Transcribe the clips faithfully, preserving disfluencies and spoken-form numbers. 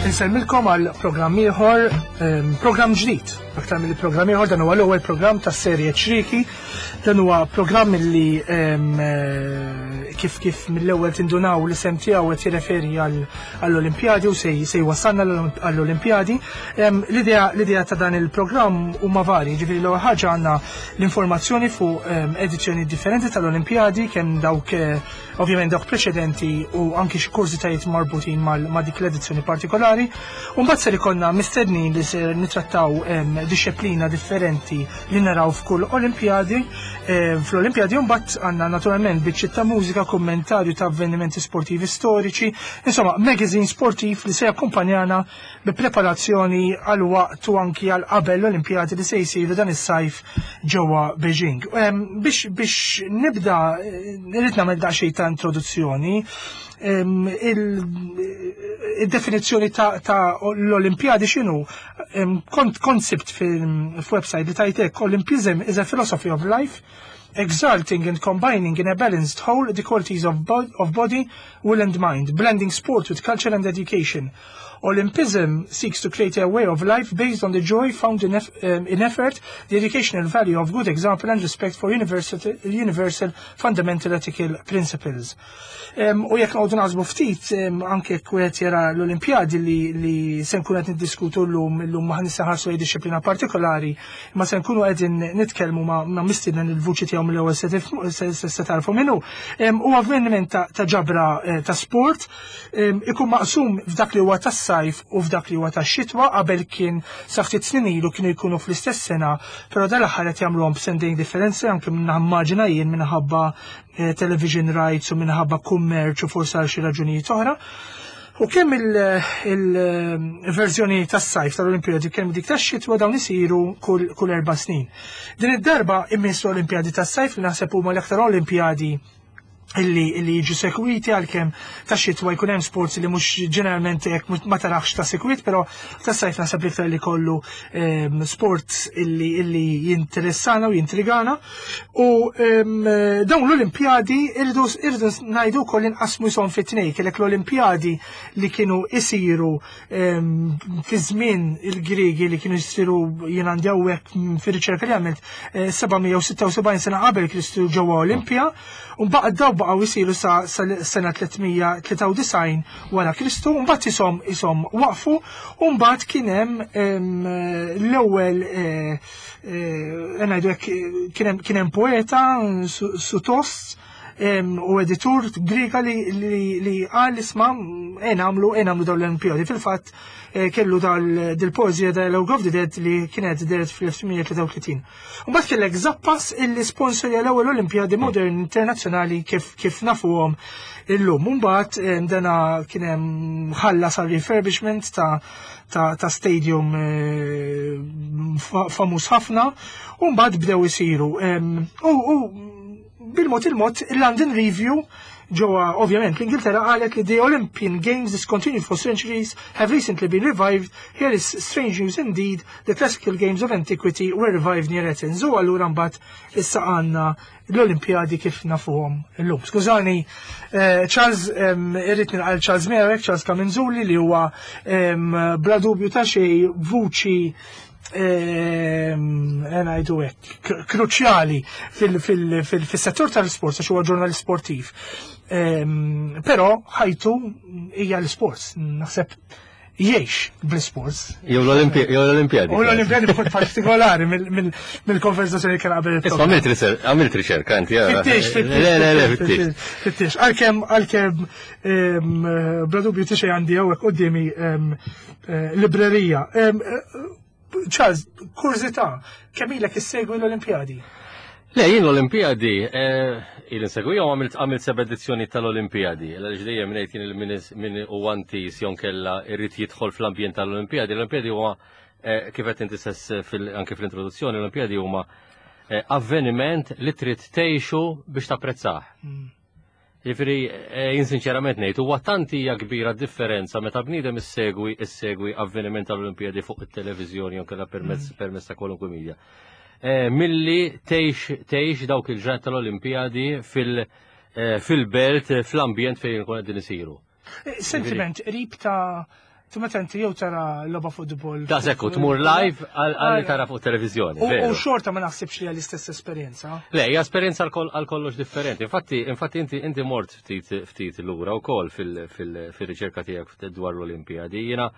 Insellmilkom għal programm ieħor, ehm, programm ġdid. Aktar mill programm ieħor dan huwa l-ewwel programm tas-serje Ċriki. Dan huwa programm li ehm, eh, kif kif mill-ewwel tindunaw l-isem tiegħu qed jirreferi għall-Olimpjadi u se se jwassalna għall-Olimpjadi. Ehm, L-idea l-idea ta' dan il-programm huma varji, ġifieri l-ewwel ħaġa għandna l-informazzjoni fuq ehm, edizzjoni differenti tal-Olimpjadi, kemm dawk eh, ovvjament dawk preċedenti u anki xi kurżitajiet marbutin ma' dik l-edizzjoni partikolari. U mbagħad ser ikollna mistednin li ser nitrattaw em, dixxiplina differenti li naraw f'kull Olimpjadi. Eh, Fl-Olimpjadi u mbagħad għandna naturalment biċċiet ta' mużika, kommentarju ta' avvenimenti sportivi storiċi, insomma magazine sportiv li se jakkumpanjana bi preparazzjoni għal waqt u anki għal qabel l-Olimpjadi li se jsiru dan is-sajf ġewwa Beijing. Em, Biex biex nibda eh, irrid nagħmel daqsxejn ta' introduzzjoni. Em, il- Il-definizzjoni ta' ta' l-Olimpjadi x'inhu? Em, Kont koncept fil-website li tajtek Olympism is a philosophy of life exalting and combining in a balanced whole the qualities of, bo of body, will and mind, blending sport with culture and education. Olympism seeks to create a way of life based on the joy found in, eff um, in effort, the educational value of good example and respect for universal, universal fundamental ethical principles. Um, u jekk noqogħdu naħsbu ftit um, anke wieħed jara l-Olimpjadi li, li se nkunu qed niddiskutu llum illum ma ħanissa lejn dixxiplina partikolari, ma se nkunu qegħdin nitkellmu ma, ma mistieden il-vuċi tiegħu mill-ewwel se tifhmu- se, se, se tarfu minnu. Um, u avveniment ta', ta' ġabra eh, ta' sport um, ikun maqsum f'dak li huwa tas-sajf u f'dak li huwa tax-xitwa qabel kien sa ftit snin ilu kienu jkunu fl-istess sena, però dal-aħħar qed jagħmluhom b'sentejn differenzi anke minn immaġina jien minħabba eh, television rights u minħabba kummerċ u forsi għal xi raġunijiet oħra. U kemm il-verżjoni tas-sajf tal-Olimpjadi kemm dik tax-xitwa dawn isiru kull, kull erba' snin. Din id-darba immissu Olimpjadi tas-sajf li naħseb huma l-aktar Olimpjadi illi illi jiġu sekwiti għalkemm ta' xitwa jkun hemm sports li mhux ġeneralment hekk mhux- ma tarax ta' sekwit, però ta' sajf naħseb l-iktar li kollu em, sports illi illi jinteressana u jintrigana. U em, dawn l-Olimpjadi irridu irridu ngħidu wkoll inqasmu jisom fi tnejn, kellek l-Olimpjadi li kienu isiru em, fi żmien il-Griegi li kienu jsiru jien għandi hawnhekk fir-riċerka li għamilt eh, seba' mija u sitta u sebgħin sena qabel Kristu ġewwa Olimpja, u mbagħad daw baqgħu jsiru sa sa sena tliet mija u tlieta u disgħin wara Kristu, u mbagħad isom isom waqfu, u mbagħad kien hemm em, l-ewwel eh, eh, ngħidu hekk kien hemm kien hemm poeta Su- Sutos em, u editur Griega li, li, li qal isma' e nagħmlu e nagħmlu dawn l-Olimpjadi. Fil-fatt eh, kellu dal dil-poeżija Dialogue of the Dead li kienet deret fl-elf tmien mija u tlieta u tletin. U mbagħad kellek Zappas illi sponsorja l-ewwel Olimpjadi Modern Internazzjonali kif kif nafuhom illum. Mbagħad em, dana kien hemm ħallas għal refurbishment ta' ta', ta' stadium eh, fa- famuż ħafna u mbagħad bdew isiru. Em, U u bil-mod il-mod il-London Review ġewwa ovvjament l-Ingilterra qalet li the Olympian Games discontinued for centuries have recently been revived. Here is strange news indeed. The classical games of antiquity were revived near Athens. U allura mbagħad issa għandna l-Olimpjadi kif nafuhom illum. Skużani, eh, Charles, em, irrid nilqa' Charles Merek, Charles Camenzuli li huwa em, bla dubju ta' xejn vuċi ngħidu hekk kruċjali fil-settur tal-sport għax huwa ġurnalist sportiv. Em, Però ħajtu hija l-sports, naħseb jgħix bl-sports. Jew l-Olimpjadi. U l-Olimpjadi b'mod partikolari mill-konversazzjoni kien qabel. Isma' għamilt riċerka, għamilt riċerka inti. Fittix, fittix. Le, le, le, fittix. Fittix. Għalkemm, għalkemm, bla dubju ta' xejn għandi hawnhekk quddiemi eh, librerija. Em, eh, Charles, kurżità, kemm ilek issegwi l-Olimpjadi? Le, jien l-Olimpjadi, il insegwijhom għamilt għamilt seba' edizzjoni tal-Olimpjadi. Għaliex dejjem ngħid jien min min u antis jonkella irrid jidħol fl-ambjent tal-Olimpjadi. L-Olimpjadi huwa eh, kif qed inti stess fil- anke fl-introduzzjoni, l-Olimpjadi huma eh, avveniment li trid tgħixu biex tapprezzah. Jiġifieri, eh, jien sinċerament ngħid, huwa tant hija kbira differenza meta bniedem issegwi issegwi avveniment tal-Olimpijadi fuq it-televiżjoni jew kellha permezz mm. permezz ta' kwalunkwe media. Eh, milli tgħix tgħix dawk il-ġranet tal-Olimpijadi fil- eh, fil-belt, fl-ambjent fejn ikun qegħdin isiru. Sentiment qrib ta' Tu meta inti jew tara logħba futbol. Da sekku, tmur live għal tara fuq televizjoni. U xorta ma naħsibx li għall-istess esperjenza. Le, hija esperjenza għal kollox differenti. Infatti, infatti inti inti mort ftit ftit lura wkoll fil-riċerka tiegħek dwar l-Olimpijadi. Jiena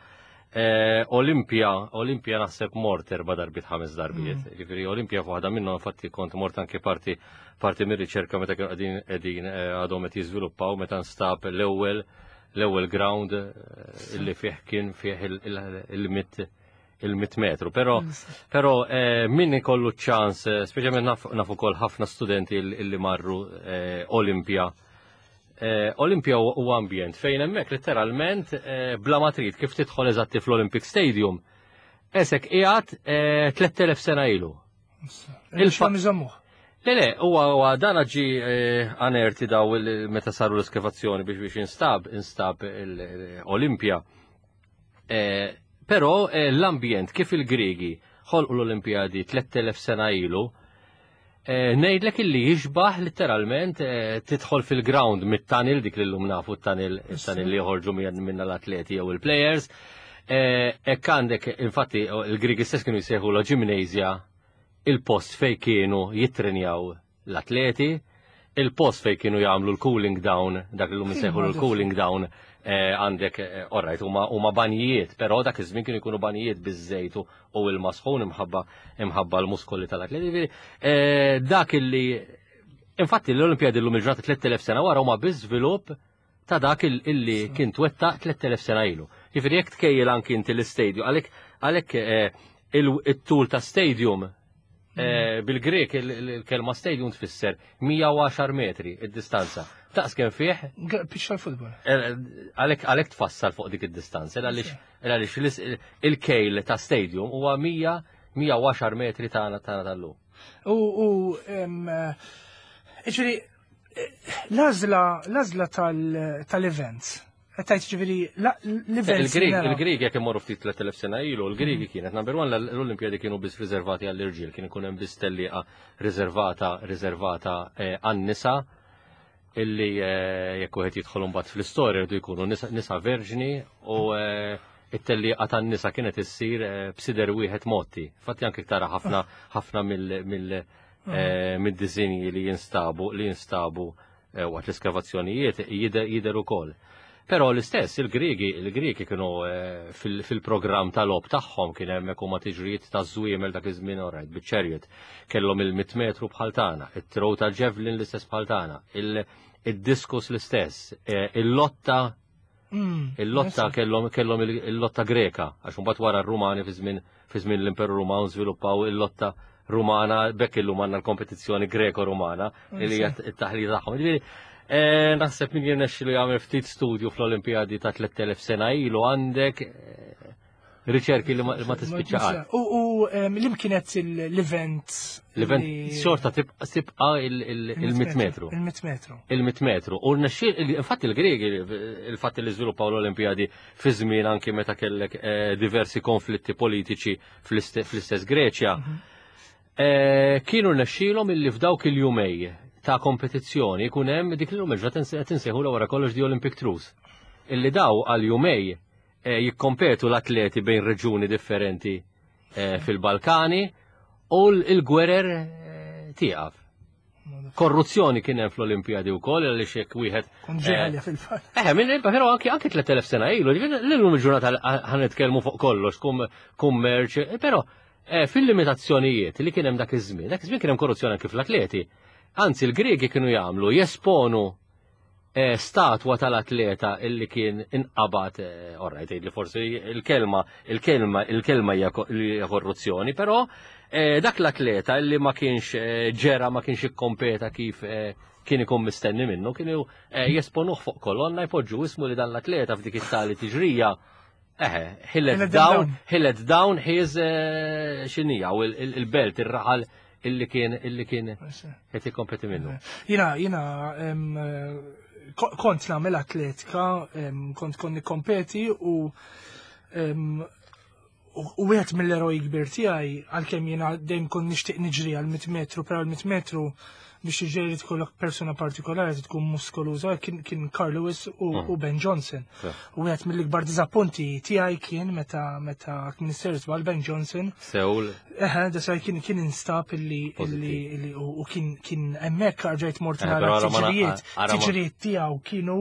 eh, Olimpija, Olimpija naħseb mort erba' darbiet ħames darbiet. Mm. Ġifieri Olimpija f'waħda minnhom infatti kont mort anke parti parti mir-riċerka meta kienu qegħdin qegħdin eh, għadhom qed jiżviluppaw meta nstab l-ewwel l-ewwel ground eh, illi fih kien fih il-mitt il-mitt metru. Però però eh, min ikollu ċans, eh, speċjalment naf ukoll ħafna studenti illi marru Olimpja. Olimpja huwa ambjent fejn hemmhekk letteralment bla ma trid kif tidħol eżatti fl-Olympic Stadium. Esek qiegħed tlett elef sena ilu. Il-fa' Le, le, huwa huwa dan ġi anerti daw meta saru l-eskavazzjoni biex biex instab, instab l-Olimpja. Però l-ambjent kif il-Griegi ħolqu l-Olimpijadi tlett elef sena ilu, ngħidlek illi jixbaħ letteralment tidħol fil-ground mit-tunnel, dik li llum nafu t-tunnel, it-tunnel li joħorġu minna l-atleti jew il-players. Hekk għandek, infatti, il-Griegi stess kienu jsejħu la gymnasia, il-post fej kienu jittrenjaw l-atleti, il-post fej kienu jagħmlu l-cooling down, dak li llum insejħu l-cooling down, għandek, alright, huma banjijiet, però dak iż-żmien kienu jkunu banjijiet biż-żejt u il-masħun imħabba imħabba l-muskoli tal-atleti. Ġifieri, dak illi infatti l-Olimpijadi llum il-ġurnata tlett elef sena wara huma biż-żvilupp ta' dak illi kien twettaq tlett elef sena ilu. Ġifieri jekk tkejjel anki inti l-istadium, għalhekk għalhekk il-tul ta' stadium bil-Grek il-kelma stadium tfisser mija u għaxar metri id-distanza. Taqs kemm fih? Pitch tal-futbol. Għalhekk għalhekk tfassal fuq dik id-distanza, għaliex għaliex il-kejl ta' stadium huwa mija mija u għaxar metri tagħna tagħna tal-lum. U, u, ġifieri, l-għażla, l-għażla tal-events. Tajt ġifieri, l-events Il-Grieg, naraw. il-Grieg jekk imorru ftit tlett elef sena ilu, il-Griegi kienet number one, l-Olimpijadi kienu biss riservati għall-irġiel, kien ikun hemm biss tellieqa riservata, riservata, eh, għan-nisa, illi, eh, jekk wieħed jidħol imbagħad fl-istorja jridu jkunu nisa, nisa verġni u, eh, it-tellieqa tan-nisa kienet issir, eh, b'sider wieħed motti. Infatti anke tara ħafna, ħafna mill-, mill-, eh, mid-disinji li jinstabu, li jinstabu, eh, waqt l-iskavazzjonijiet jider, jider ukoll. Però l-istess, il-Griegi, il-Griegi kienu, eh, fil-, fil-programm tal-logħob tagħhom kien hemmhekk huma tiġrijiet ta' żwiemel dak iż-żmien orajt biċ-chariot. Kellhom il-mitt metru bħal tagħna, it-throw ta' javelin l-istess bħal tagħna, il-, id-diskus l-istess, eh, il-lotta Mm, il-lotta yes. kellhom, kellhom il-, il-lotta Greka, għax imbagħad wara r-Rumani fi żmien, fi żmien l-Imperu Ruman żviluppaw il-lotta Rumana, bekk illum għandna l-kompetizzjoni Greko-Rumana, li hija t-taħlita tagħhom. Ġifieri, eh, naħseb min jirnexxilu jagħmel ftit studju fl-Olimpijadi ta' tlett elef sena ilu għandek, eh, riċerki li ma, ma tispiċċa qatt. U, u, em, li kienet l-event? L-event li xorta tibqa', tibqa' il-, il-, il-mitt metru. Il-mitt metru. Il-mitt metru. U rnexxiel, infatti il-Griegi, il-fatt li żviluppaw l-Olimpijadi fi żmien anki meta kellek, eh, diversi konflitti politiċi fl-iste-, fl-istess Greċja, Mhm. eh, kienu rnexxielhom illi f'dawk il-jumej ta' kompetizzjoni jkun hemm dik li l-lum il-ġurnata qed insejħu wara kollox di Olympic Truce. Illi daw għal jumej, eh, jikkompetu l-atleti bejn reġuni differenti, eh, fil-Balkani u l-, il-gwerer, eh, tieqaf. Korruzzjoni kien hemm fl-Olimpijadi wkoll għaliex jekk wieħed, Kun ġeħalja eh, fil-fatt. Eh, minn, però anki, anki tlett elef sena ilu, ġifieri l-lum il-ġurnata ħan nitkellmu fuq kollox, kum-, kummerċ, eh, però, eh, fil-limitazzjonijiet li kien hemm dak iż-żmien, dak iż-żmien kien hemm korruzzjoni anki fl-atleti. Anzi, il-Griegi kienu jagħmlu jesponu, eh, statwa tal-atleta illi kien inqabad, eh, orrajt, tgħid li forsi il-kelma, il-kelma, il-kelma hija ko-, hija korruzzjoni, però, eh, dak l-atleta illi ma kienx, eh, ġera, ma kienx ikkompeta kif, eh, kien ikun mistenni minnu, kienu, eh, jesponuh fuq kolonna jpoġġu ismu li dan l-atleta f'dik it-tali tiġrija. Eħe, he let He let them down, down. he let down his, eh, xinija, u il-, il-, il-belt, ir-raħal illi kien, illi kien qed jikkompeti minnu. Jina, jina, em, Kont nagħmel atletika, kont kont nikkompeti u u wieħed mill-eroj kbir tiegħi, għalkemm jiena dejjem kont nixtieq niġri għal mitt metru, però għal mitt metru biex tiġri tkollok persuna partikolari tkun muskoluża, kien kien Carl Lewis u, mm. u Ben Johnson. U wieħed mill-ikbar diżappunti tiegħi kien meta meta Minister żball Ben Johnson. Seul. Eħe, da kien kien instab illi illi u kien kien hemmhekk rġajt mort nara tiġrijiet. Tiġrijiet tiegħu kienu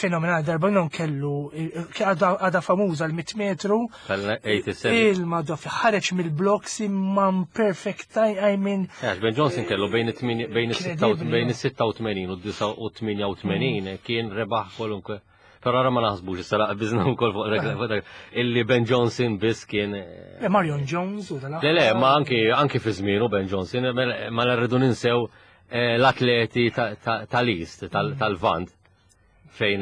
fenomenali, darba non kellu għadha famuża l-mitt metru. Il-madwa ħareġ mill-blocks imma perfect, I mean. Ben Johnson kellu bejn bejn bejn is-sitta u tmenin u d-disgħa u tmienja u tmenin kien rebaħ kwalunkwe. Però ara ma naħsbux, issa laqbiżna wkoll fuq dak illi Ben Johnson biss kien. Marion Jones u dal. Le le, ma anki anki fi żmienu Ben Johnson, ma rridu ninsew l-atleti tal-East, tal-Vant, fejn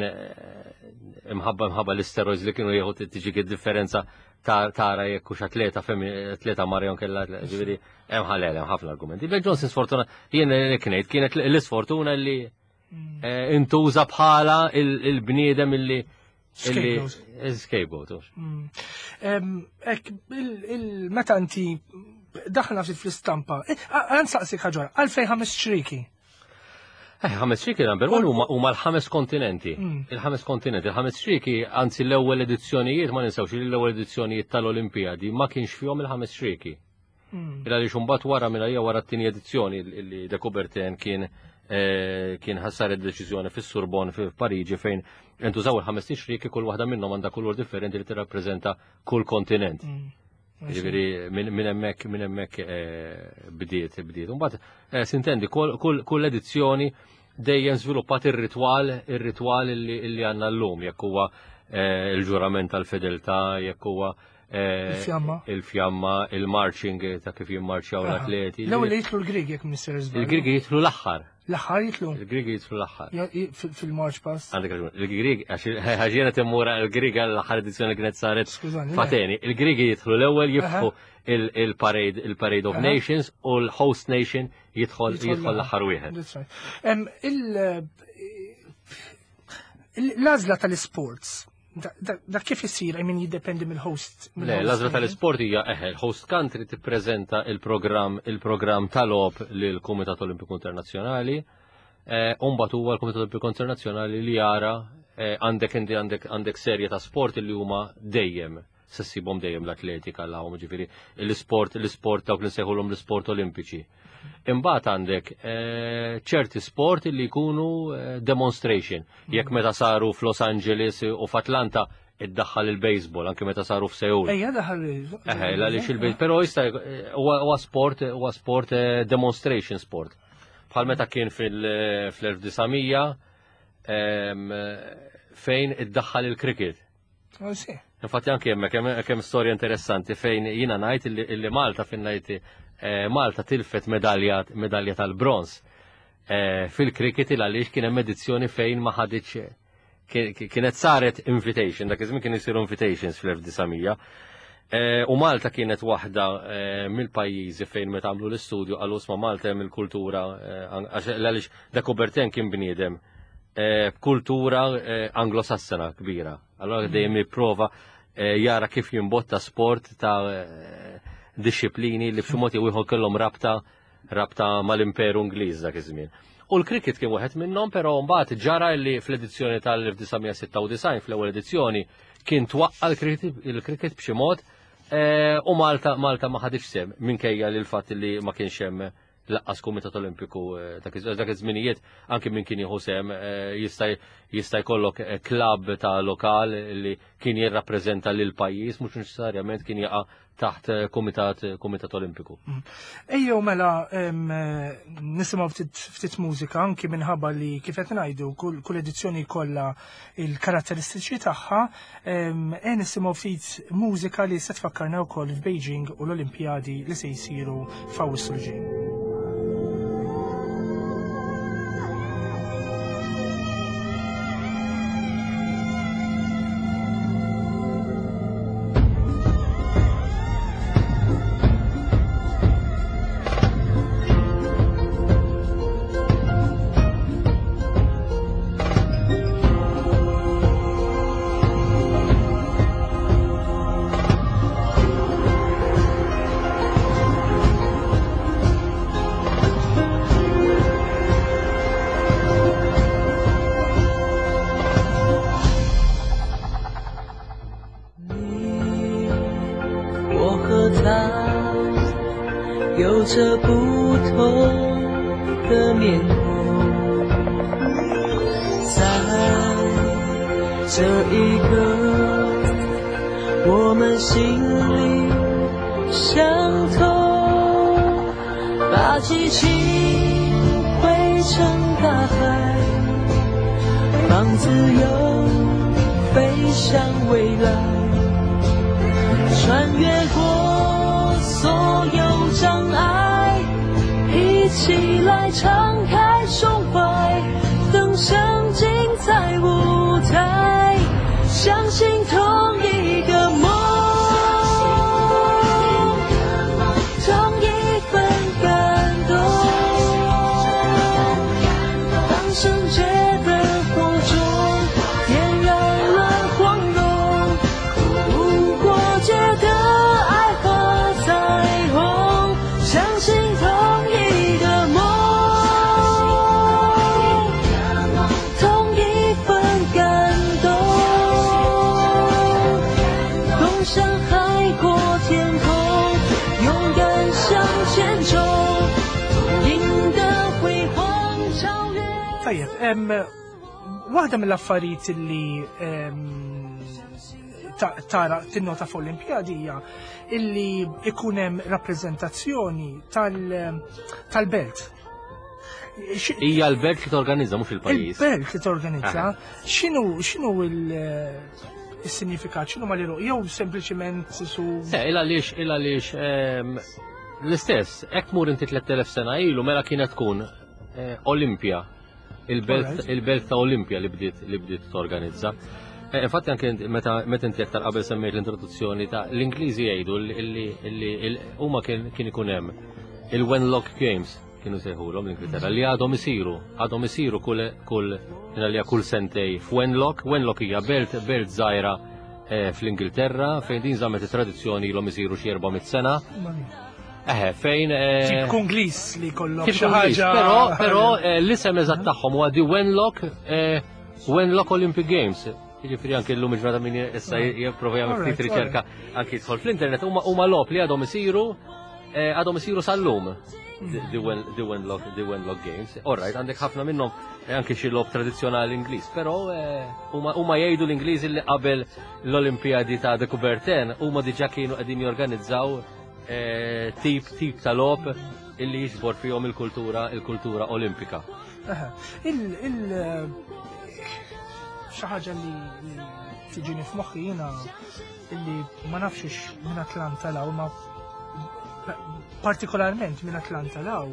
imħabba imħabba l-isteroids li kienu jieħu tiġi differenza tara jekk hux atleta atleta Marion kellha, ġifieri hemm ħalel hemm ħafna argumenti. Ben Johnson sfortuna jien ngħid kienet l-isfortuna li intuża bħala il-bniedem illi scapegoat. Ek meta inti daħna ftit fl-istampa, għan saqsik ħaġa, għalfejn ħames ċriki? Eh, ħames ċriki number one huma l-ħames kontinenti. Il-ħames kontinenti, il-ħames ċriki, anzi l-ewwel edizzjonijiet, ma ninsewx li l-ewwel edizzjonijiet tal-Olimpijadi ma kienx fihom il-ħames ċriki. Il għaliex imbagħad wara minn hija wara t-tieni edizzjoni li De Coubertin kien kien ħassar id-deċiżjoni fis-Sorbonne f'Pariġi fejn intużaw il-ħames ċriki, kull waħda minnhom għandha kulur differenti li tirrappreżenta kull kontinent. Ġifieri minn hemmhekk minn hemmhekk bdiet bdiet. Imbagħad sintendi kull edizzjoni dejjem żviluppat ir-ritwal ir-ritwal illi għandna llum, jekk huwa il-ġurament tal-fedeltà, jekk huwa il-fjamma, il-fjamma, il-marching ta' kif jimmarċjaw l-atleti. L-ewwel jitlu l-Grieg jekk Mister Żball. Il-Grieg jitlu l-aħħar. L-aħħar jitlu? Il-Grieg jitlu l-aħħar. Fil-march pass. Għandek raġun. Il-Grieg, għax jiena timmura l-Grieg għall-aħħar edizzjoni li kienet saret fateni. Il-Grieg jitlu l-ewwel jiftħu il-parade, il-Parade of Nations, u l-host nation jidħol jidħol l-aħħar wieħed. L-għażla tal-isports, da kif isir, I mean, jiddependi mill-host? Le, l-għażla tal-isport hija eħe, l-host country tippreżenta il-programm il-programm tal-logħob lill-Kumitat Olimpiku Internazzjonali, u mbagħad huwa l-Kumitat Olimpiku Internazzjonali li jara għandek inti għandek għandek serje ta' sport li huma dejjem se ssibhom dejjem l-atletika l-għawm, ġifieri l-isport l-isport dawk li nsejħulhom l-isport olimpiċi. Imbagħad għandek ċerti sport li jkunu demonstration. Jekk meta saru f'Los Angeles u f'Atlanta iddaħħal il-baseball, anke meta saru f'Seul. Ejja daħal il-baseball. Eħe, għaliex il-baseball, però jista' huwa sport huwa sport demonstration sport. Bħal meta kien fil-elf disa' fejn iddaħħal il-cricket. Infatti anke hemmhekk hemm storja interessanti fejn jiena ngħid illi Malta fejn ngħid Malta tilfet medalja medalja tal-bronz fil-cricket il għaliex kien hemm edizzjoni fejn ma ħaditx kienet saret invitation, dak iż-żmien kien isiru invitations fl-elf disa' mija. U Malta kienet waħda mill-pajjiżi fejn meta għamlu l-istudju qalu isma' Malta hemm il-kultura għaliex De Coubertin kien bniedem b'kultura anglosassena kbira. Allora dejjem jipprova jara kif jimbotta sport ta' disciplini li b'xi mod jew ieħor kellhom rabta rabta mal-Imperu Ingliż dak iż-żmien. U l-cricket kien wieħed minnhom, però mbagħad ġara li fl-edizzjoni tal-elf disa' mija sitta u disgħin fl-ewwel edizzjoni kien twaqqa l-cricket b'xi mod u Malta Malta ma ħaditx sehem minkejja li l-fatt li ma kienx hemm laqqas Kumitat Olimpiku dak iż-żminijiet, anke min kien jieħu sehem jista' jista' jkollok klabb ta' lokal li kien jirrappreżenta lil pajjiż, mhux neċessarjament kien jaqa' taħt Kumitat Kumitat Olimpiku. Ejjew mela nisimgħu ftit mużika anki minħabba li kif qed ngħidu kull edizzjoni jkollha il-karatteristiċi tagħha, e nisimgħu ftit mużika li se tfakkarna wkoll f'Beijing u l-Olimpjadi li se jsiru f'Awwissu l ġej. 着不同的面孔，在这一刻，我们心灵相通，把激情汇成大海，放自由飞向未来，穿越过所有障碍，一起来敞开胸怀，登上精彩舞台，相信同一个梦，同一份感动。当圣洁的火种点燃了光荣，无国界的爱和彩虹，相信同一个梦，同一份感动，共享海阔天空，勇敢向前冲，赢得辉煌超越。 Tajjeb, em, waħda mill-affarijiet li em, ta- tara tinnota fuq l-Olimpjadi hija illi ikun hemm rappreżentazzjoni tal- tal-belt. Xi- Hija l-belt li torganizza, mhux il-pajjiż. Il-belt li torganizza, x'inhu x'inhu il- il-sinifikat, x'inhu ma li jew sempliċiment su Se, illa għaliex, illa għaliex ehm, l-istess, hekk mur inti tliet elef sena ilu, mela kienet tkun eh, Olimpja, il-belt Alright. il-belt ta' Olimpja li bdiet li bdiet torganizza. Eh, Infatti anke inti- meta meta inti aktar qabel semmejt l-introduzzjoni ta' l-Ingliżi jgħidu li li huma kien kien ikun hemm il-Wenlock Games, kienu sejħulhom l-Ingilterra, li għadhom isiru, għadhom isiru kull kull għalija kull sentej f'Wenlock. Wenlock hija belt belt żgħira eh, fl-Ingilterra fejn din żammet it-tradizzjoni, ilhom isiru xi erba' mitt sena. Eħe, fejn eh, Tip Ingliż li kollok Tip xi Ingliż, ħaġa. Però, però eh, l-isem eżatt tagħhom huwa di Wenlock eh, Wenlock Olympic Games. Jiġifieri anke llum il-ġurnata min issa jipprova jagħmel Alright, ftit riċerka, anke jidħol fl-internet, huma huma logħob li għadhom isiru eh, għadhom isiru sal-lum. The Wen- The Wenlock The Wenlock Games. Alright, għandek ħafna minnhom eh, anke xi logħob tradizzjonali Ingliż, però eh, huma huma jgħidu l-Ingliżi li qabel l-Olimpijadi ta' de Coubertin huma diġà kienu qegħdin jorganizzaw eh, tip tip ta' logħob illi jiġbor fihom il-kultura il-kultura olimpika. Aha. Il il xi ħaġa li li tiġini f'moħħi jiena, illi ma nafx minn Atlanta law, ma partikolarment minn Atlanta law,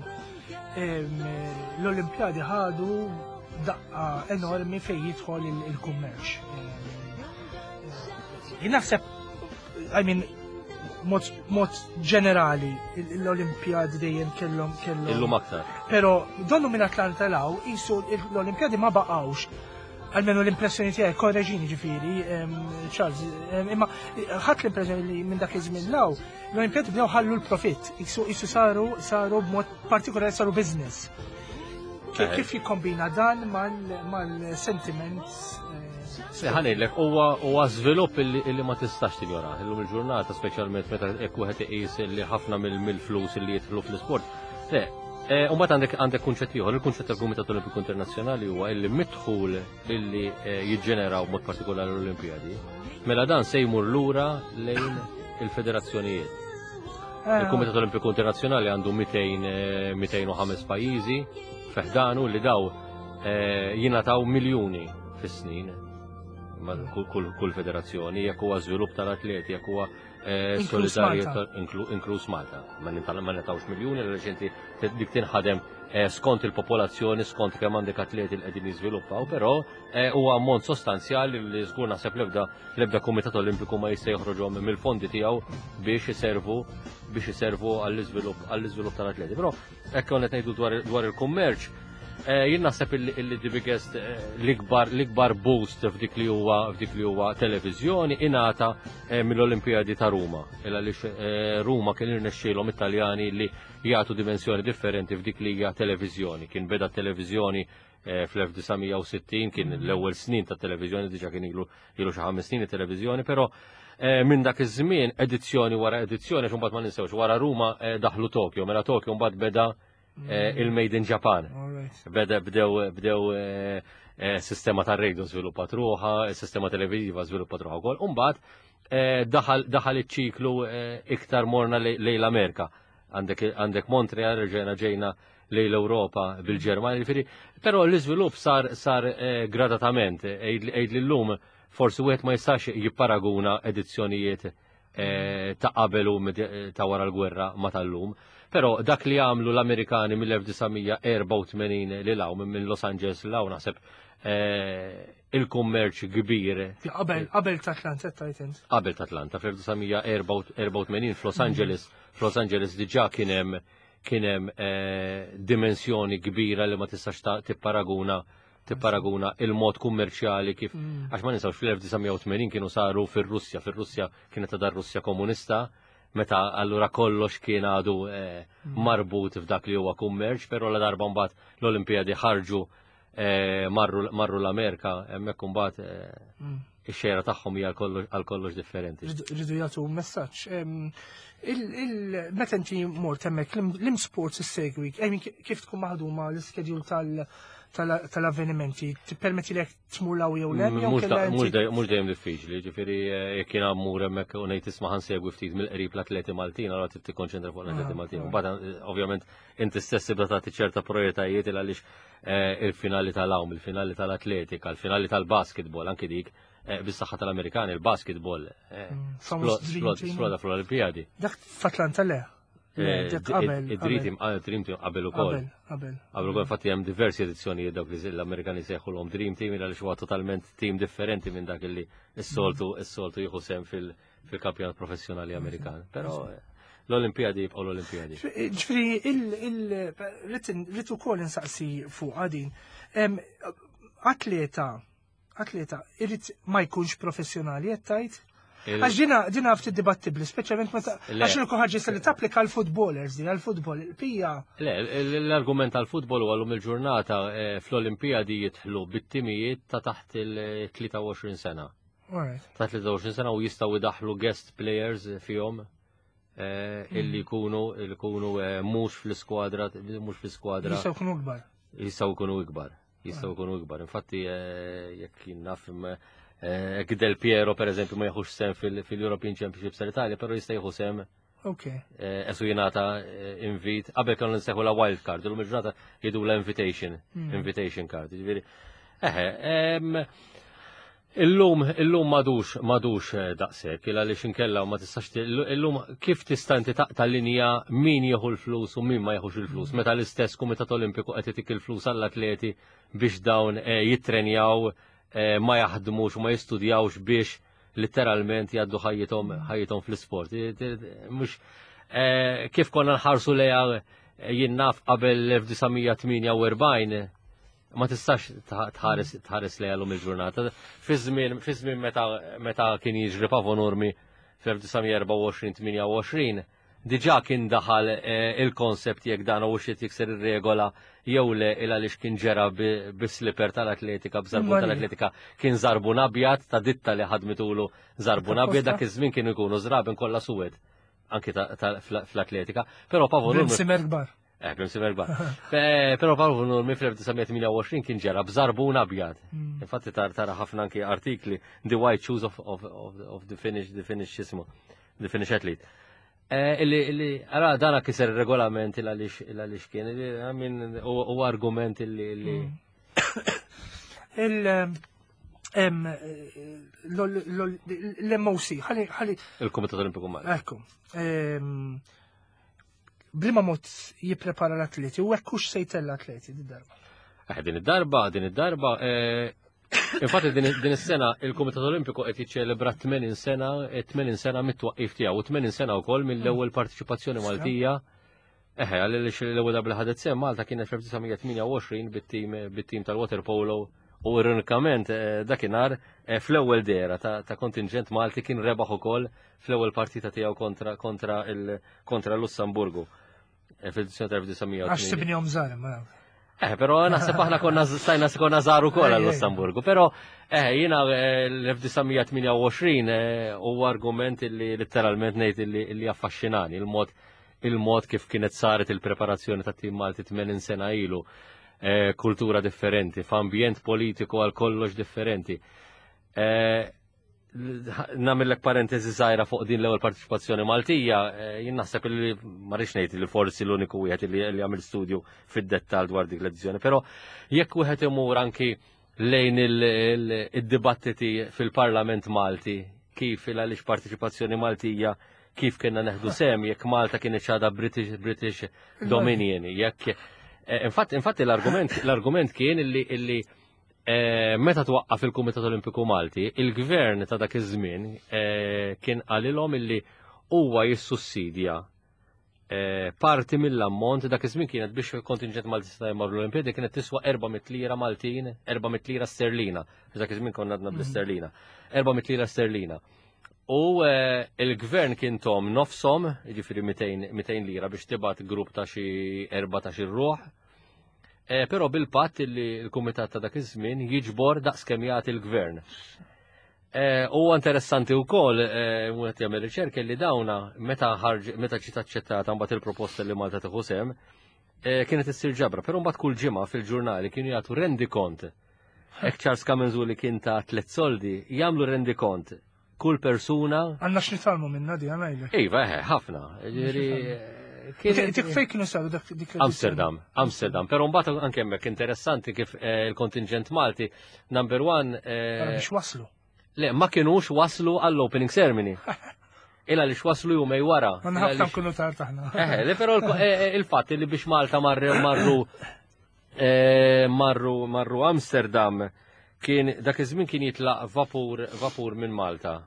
em, l-Olimpjadi ħadu daqqa enormi fejn jidħol il- il-kummerċ. Em, Jien naħseb, I mean, mod, mod ġenerali, l-Olimpjadi dejjem kellhom kellhom. Illum aktar. Pero donnu minn Atlanta law, jisu l-Olimpjadi ma baqawx. Almenu l-impressjoni tiegħi, korreġini ġifieri, em, Charles, em, imma ħadd l-impressjoni li minn dak iż-żmien law, l-Olimpjadi bdew ħallu l-profitt, jisu jisu saru saru b'mod partikolari saru business. Kif Eh. kif jikkombina dan mal- mal-sentiment? eh, Ħa ngħidlek, huwa huwa żvilupp illi illi ma tistax tinjora. Illum il-ġurnata, speċjalment meta hekk wieħed iqis li ħafna mill- mill-flus illi jidħlu fl-isport. Le, eh, u mbagħad għandek għandek kunċett ieħor, il-kunċett tal-Kumitat Olimpiku Internazzjonali huwa illi mid-dħul illi eh, jiġġeneraw mod partikolari l-Olimpijadi, mela dan se jmur lura lejn il-federazzjonijiet. eh, Il-Kumitat Olimpiku Internazzjonali għandu mitejn, eh, mitejn u ħames pajjiżi fi ħdanu li daw eh, jingħataw miljuni fis-snin ma' kull, kull, kull federazzjoni, jekk huwa żvilupp tal-atleti, jekk huwa eh, Inkluż solidarjetà, Malta. inklu- inkluż Malta. Ma nintal- ma nitawx miljuni għaliex inti dik tinħadem eh, skont il-popolazzjoni, skont kemm għandek atleti li qegħdin jiżviluppaw, però eh, huwa ammont sostanzjali li żgur naħseb l-ebda l-ebda Kumitat Olimpiku ma jista' joħroġhom mill-fondi tiegħu biex iservu biex iservu għall-iżvilupp għall-iżvilupp tal-atleti. Però hekk konna qed ngħidu dwar dwar il-kummerċ, eh, jien naħseb illi illi the biggest eh, l-ikbar l-ikbar boost f'dik li huwa f'dik li huwa televiżjoni ingħata eh, mill-Olimpijadi ta' Ruma. Illa għaliex eh, Ruma kien irnexxielhom Italjani li jagħtu dimensjoni differenti f'dik li hija televiżjoni. Kien beda televiżjoni eh, fl-elf disa' mija u sittin kien l-ewwel snin ta' televiżjoni, diġà kien ilu ilu xi ħames snin it-televiżjoni, però eh, minn dak iż-żmien, edizzjoni wara edizzjoni, għax mbagħad ma ninsewx, wara Ruma eh, daħlu Tokyo, mela Tokyo mbagħad beda eh, il-Made in Japan. Alright. Beda bdew bdew eh, eh, sistema ta' radio żviluppat ruħha, sistema televiżiva żviluppat ruħha wkoll. U mbagħad eh, daħal daħal iċ-ċiklu eh, iktar morna lej lejn l-Amerika. Għandek għandek Montreal, ġejna ġejna lejn l-Ewropa bil-Ġermanja, jiġifieri, però l-iżvilupp sar sar eh, gradatament, għid li llum forsi wieħed ma jistax jipparaguna edizzjonijiet eh, ta' qabel u med- ta' wara l-gwerra ma tal-lum. Però dak li għamlu l-Amerikani mill-elf disa' mija erbgħa u tmenin li law minn Los Angeles law, naħseb eh, il-kummerċ kbir. Qabel qabel ta' Atlanta tajt int. Qabel ta' Atlanta, fl-elf disa' mija erbgħa u tmenin f'Los Angeles, f'Los Angeles diġà kien hemm kien hemm eh, dimensjoni kbira li ma tistax ta' tipparaguna tipparaguna il-mod kummerċjali kif, għax ma ninsawx, fl-elf disa' mija u tmenin kienu saru fir-Russja, fir-Russja kienet ta' Russja komunista, meta allura kollox kien għadu eh, marbut f'dak li huwa kummerċ, però la darba mbagħad l-Olimpijadi ħarġu eh, marru, marru l-Amerika, hemmhekk imbagħad eh, ix-xejra tagħhom hija għal kollox- għal kollox differenti. Rridu rridu jagħtu messaġġ. Em, il- il- Meta inti mort hemmhekk, l-im sports issegwi, I mean, kif tkun maħduma l-ischedule tal- tal- tal-avvenimenti, tippermetti lek tmur law jew le, jew Mhux kella da- mhux inti- dej- mhux dejjem diffiċli, ġifieri eh, jekk jiena mmur hemmhekk u ngħid, "Isma', ħa nsegwi ftit mill-qrib l-atleti Maltin", allura trid tikkonċentra fuq l-atleti Ah, Maltin. ah. Mbagħad eh, ovvjament inti stess tibda tagħti ċerta prioritajiet il għaliex eh, il-finali tal-għawm, il-finali tal-atletika, il-finali tal-basketball, anki dik eh, bis-saħħa tal-Amerikani, il-basketball eh, Mm, famous splo- Dream splo- Team. sploda fl-Olimpijadi. Dak f'Atlanta le. Le, Eh, dak qabel. Id-Dream Team, ah, Dream Team qabel ukoll. Qabel, qabel. Qabel ukoll, infatti hemm diversi edizzjonijiet dawk li l-Amerikani sejħulhom Dream Team għaliex huwa totalment team differenti minn dak li s-soltu s-soltu jieħu sehem fil- fil-kampjonat professjonali Amerikan. Però eh, l-Olimpijadi jibqgħu l-Olimpijadi. Ġifieri, il- rrid ukoll insaqsi fuq għadin. Em, Atleta, atleta, irid ma jkunx professjonali, qed tajt? Il- Għax dina, dina ftit dibattibli, speċjalment meta Le. għax il ħaġa li tapplika għal-footballers, di għal-futbol, il-pija. Le, l- l-argument tal-futbol huwa llum il-ġurnata eh, fl-Olimpijadi jidħlu bit-timijiet ta' taħt il-tlieta u għoxrin sena. Alright. Ta' tlieta u għoxrin sena u jistgħu idaħlu guest players fihom eh, illi jkunu illi jkunu eh, mhux fl-iskwadra mhux fl-iskwadra. Jistgħu jkunu kbar. Jistgħu jkunu ikbar. Jistgħu jkunu ikbar. Infatti eh, jekk jien naf eh, jekk Del Piero, per eżempju, ma jieħux sehem fil- fil-European Championships tal-Italja, però jista' jieħu sehem Ok. eh, esu jingħata eh, invit, qabel kienu nsejħu la wild card, illum il-ġurnata jgħidu la invitation, invitation card. Ġifieri, eħe, em, illum, illum madux, madux eh, daqshekk, il għaliex inkella ma tistax, ti- illum kif tista' inti taqta' linja min jieħu l-flus u min ma jieħux il-flus, meta l-istess Kumitat Olimpiku qed itik il-flus għall-atleti biex dawn eh, jittrenjaw, eh, ma jaħdmux u ma jistudjawx biex literalment jgħaddu ħajjithom ħajjithom fl-isport. Mhux eh, kif konna nħarsu leja eh, jien naf qabel l-elf disa' mija tmienja u erbgħin, ma tistax tħares tħares lejha llum il-ġurnata. Fi żmien fi żmien meta meta kien jiġri Paavo Nurmi fl-elf disa' mija erbgħa u għoxrin tmienja u għoxrin, diġà kien daħal eh, il-konsept jekk dan u xi jikser ir-regola jew le, il għaliex kien ġera bi-slipper tal-atletika, b'żarbun Imma li- tal-atletika, kien żarbun abjad ta' ditta li ħadmitulu żarbun abjad. Dak iż-żmien kienu jkunu żraben kollha suwed anki ta- ta- fl- fl-atletika. Però Paavo Nurmi Bl-imsimer kbar. Eh, bl-imsimer kbar. Pe- Però Paavo Nurmi fl-elf disa' mija tmienja u għoxrin kien ġera b'żarbun abjad. Infatti tar tara ħafna anki artikli, "The White Shoes of, of, of, of the Finnish, the Finnish xismu, the Finnish athlete". Eh, Illi, illi, ara dana kiser il-regolament il għaliex il għaliex kien, illi, I mean, u u argument illi, illi Il- em, l-M O C, ħalli, ħalli, il-Komitat Olimpiku Malti. Ekku, em, bliema mod jipprepara l-atleti u hekk se jtella l-atleti di darba? Eh, din id-darba, din id-darba, eh, infatti din din is-sena il-Kumitat Olimpiku qed jiċċelebra tmenin sena, tmenin sena mit-twaqqif tiegħu u tmenin sena wkoll mill-ewwel partiċipazzjoni Maltija. Eħe, għaliex l-ewwel darba li ħadet sehem Malta kienet fl-elf disa' mija tmienja u għoxrin bit-tim bit-tim tal-waterpolo u ironikament eh, dakinhar eh, fl-ewwel dera ta' ta' kontingent Malti kien rebaħ ukoll fl-ewwel partita tiegħu kontra kontra il kontra Lussemburgu eh, fil-edizzjoni Għax tal-elf disa' mija. Sibnihom żgħar, ma. Eh, però naħseb aħna konna stajna konna żaru kol Ej, ej. għal-Lussemburgu, però eh, jiena eh, l-elf disa' mija tmienja u għoxrin eh, huwa argument li letteralment ngħid illi illi affaxxinani, il-mod il-mod kif kienet saret il-preparazzjoni ta' tim Malti tmenin sena ilu, eh, kultura differenti, f'ambjent politiku għal kollox differenti. Eh, Nagħmillek parentesi żgħira fuq din l-ewwel partiċipazzjoni Maltija, eh, jien naħseb li ma rridx ngħid li forsi l-uniku wieħed li li għamil studju fid-dettall dwar dik l-edizzjoni, però jekk wieħed imur anki lejn il- il- id-dibattiti fil-Parlament Malti, kif il għaliex partiċipazzjoni Maltija, kif kienna neħdu sem, jekk Malta kienet għadha British, British Dominion, jekk eh, infatti infatti l-argument l-argument kien illi illi Eh, meta twaqqaf il-Kumitat Olimpiku Malti, il-gvern ta' dak iż-żmien eh, kien qalilhom illi huwa jissussidja eh, parti mill-ammont. Dak iż-żmien kienet biex il-kontingent Malti seta' jmorru l-Olimpjadi kienet tiswa erba' mitt lira Maltin, erba' mitt lira sterlina. Dak iż-żmien konna għadna bl-isterlina. erba' mitt lira sterlina. U eh, il-gvern kien tahom nofshom, jiġifieri mitejn lira biex tibgħat grupp ta' xi erbatax ruħ. Eh, Però bil-patt li l-kumitat ta' dak iż-żmien jiġbor daqs kemm jagħti l-gvern. Eh, Huwa interessanti wkoll eh, wieħed jagħmel riċerka li dawna meta ħarġ meta ġiet aċċettata mbagħad il-proposta li Malta tieħu sem, eh, kienet issir ġabra, però mbagħad kull ġimgħa fil-ġurnali kienu jagħtu rendikont. Hekk Charles Camenzuli kien ta' tliet soldi, jagħmlu rendikont kull persuna. Għandna x'nitgħallmu minna di, għanajlek. Iva, eħe, ħafna. Ġifieri, kienet- Dik fejn kienu saru dak dik l-edizzjoni? Amsterdam, Amsterdam. Però mbagħad anke hemmhekk interessanti kif eh, il-kontingent Malti, number one, Ara eh, biex waslu. Le, ma kienux waslu għall-opening ceremony. Illa li waslu jumej wara. Għandna Illa ħafna li nkunu tard aħna. Eh, le, però il- eh, eh, il-fatt li biex Malta marru marru eh, marru marru Amsterdam, kien dak iż-żmien kien jitlaq vapur vapur minn Malta.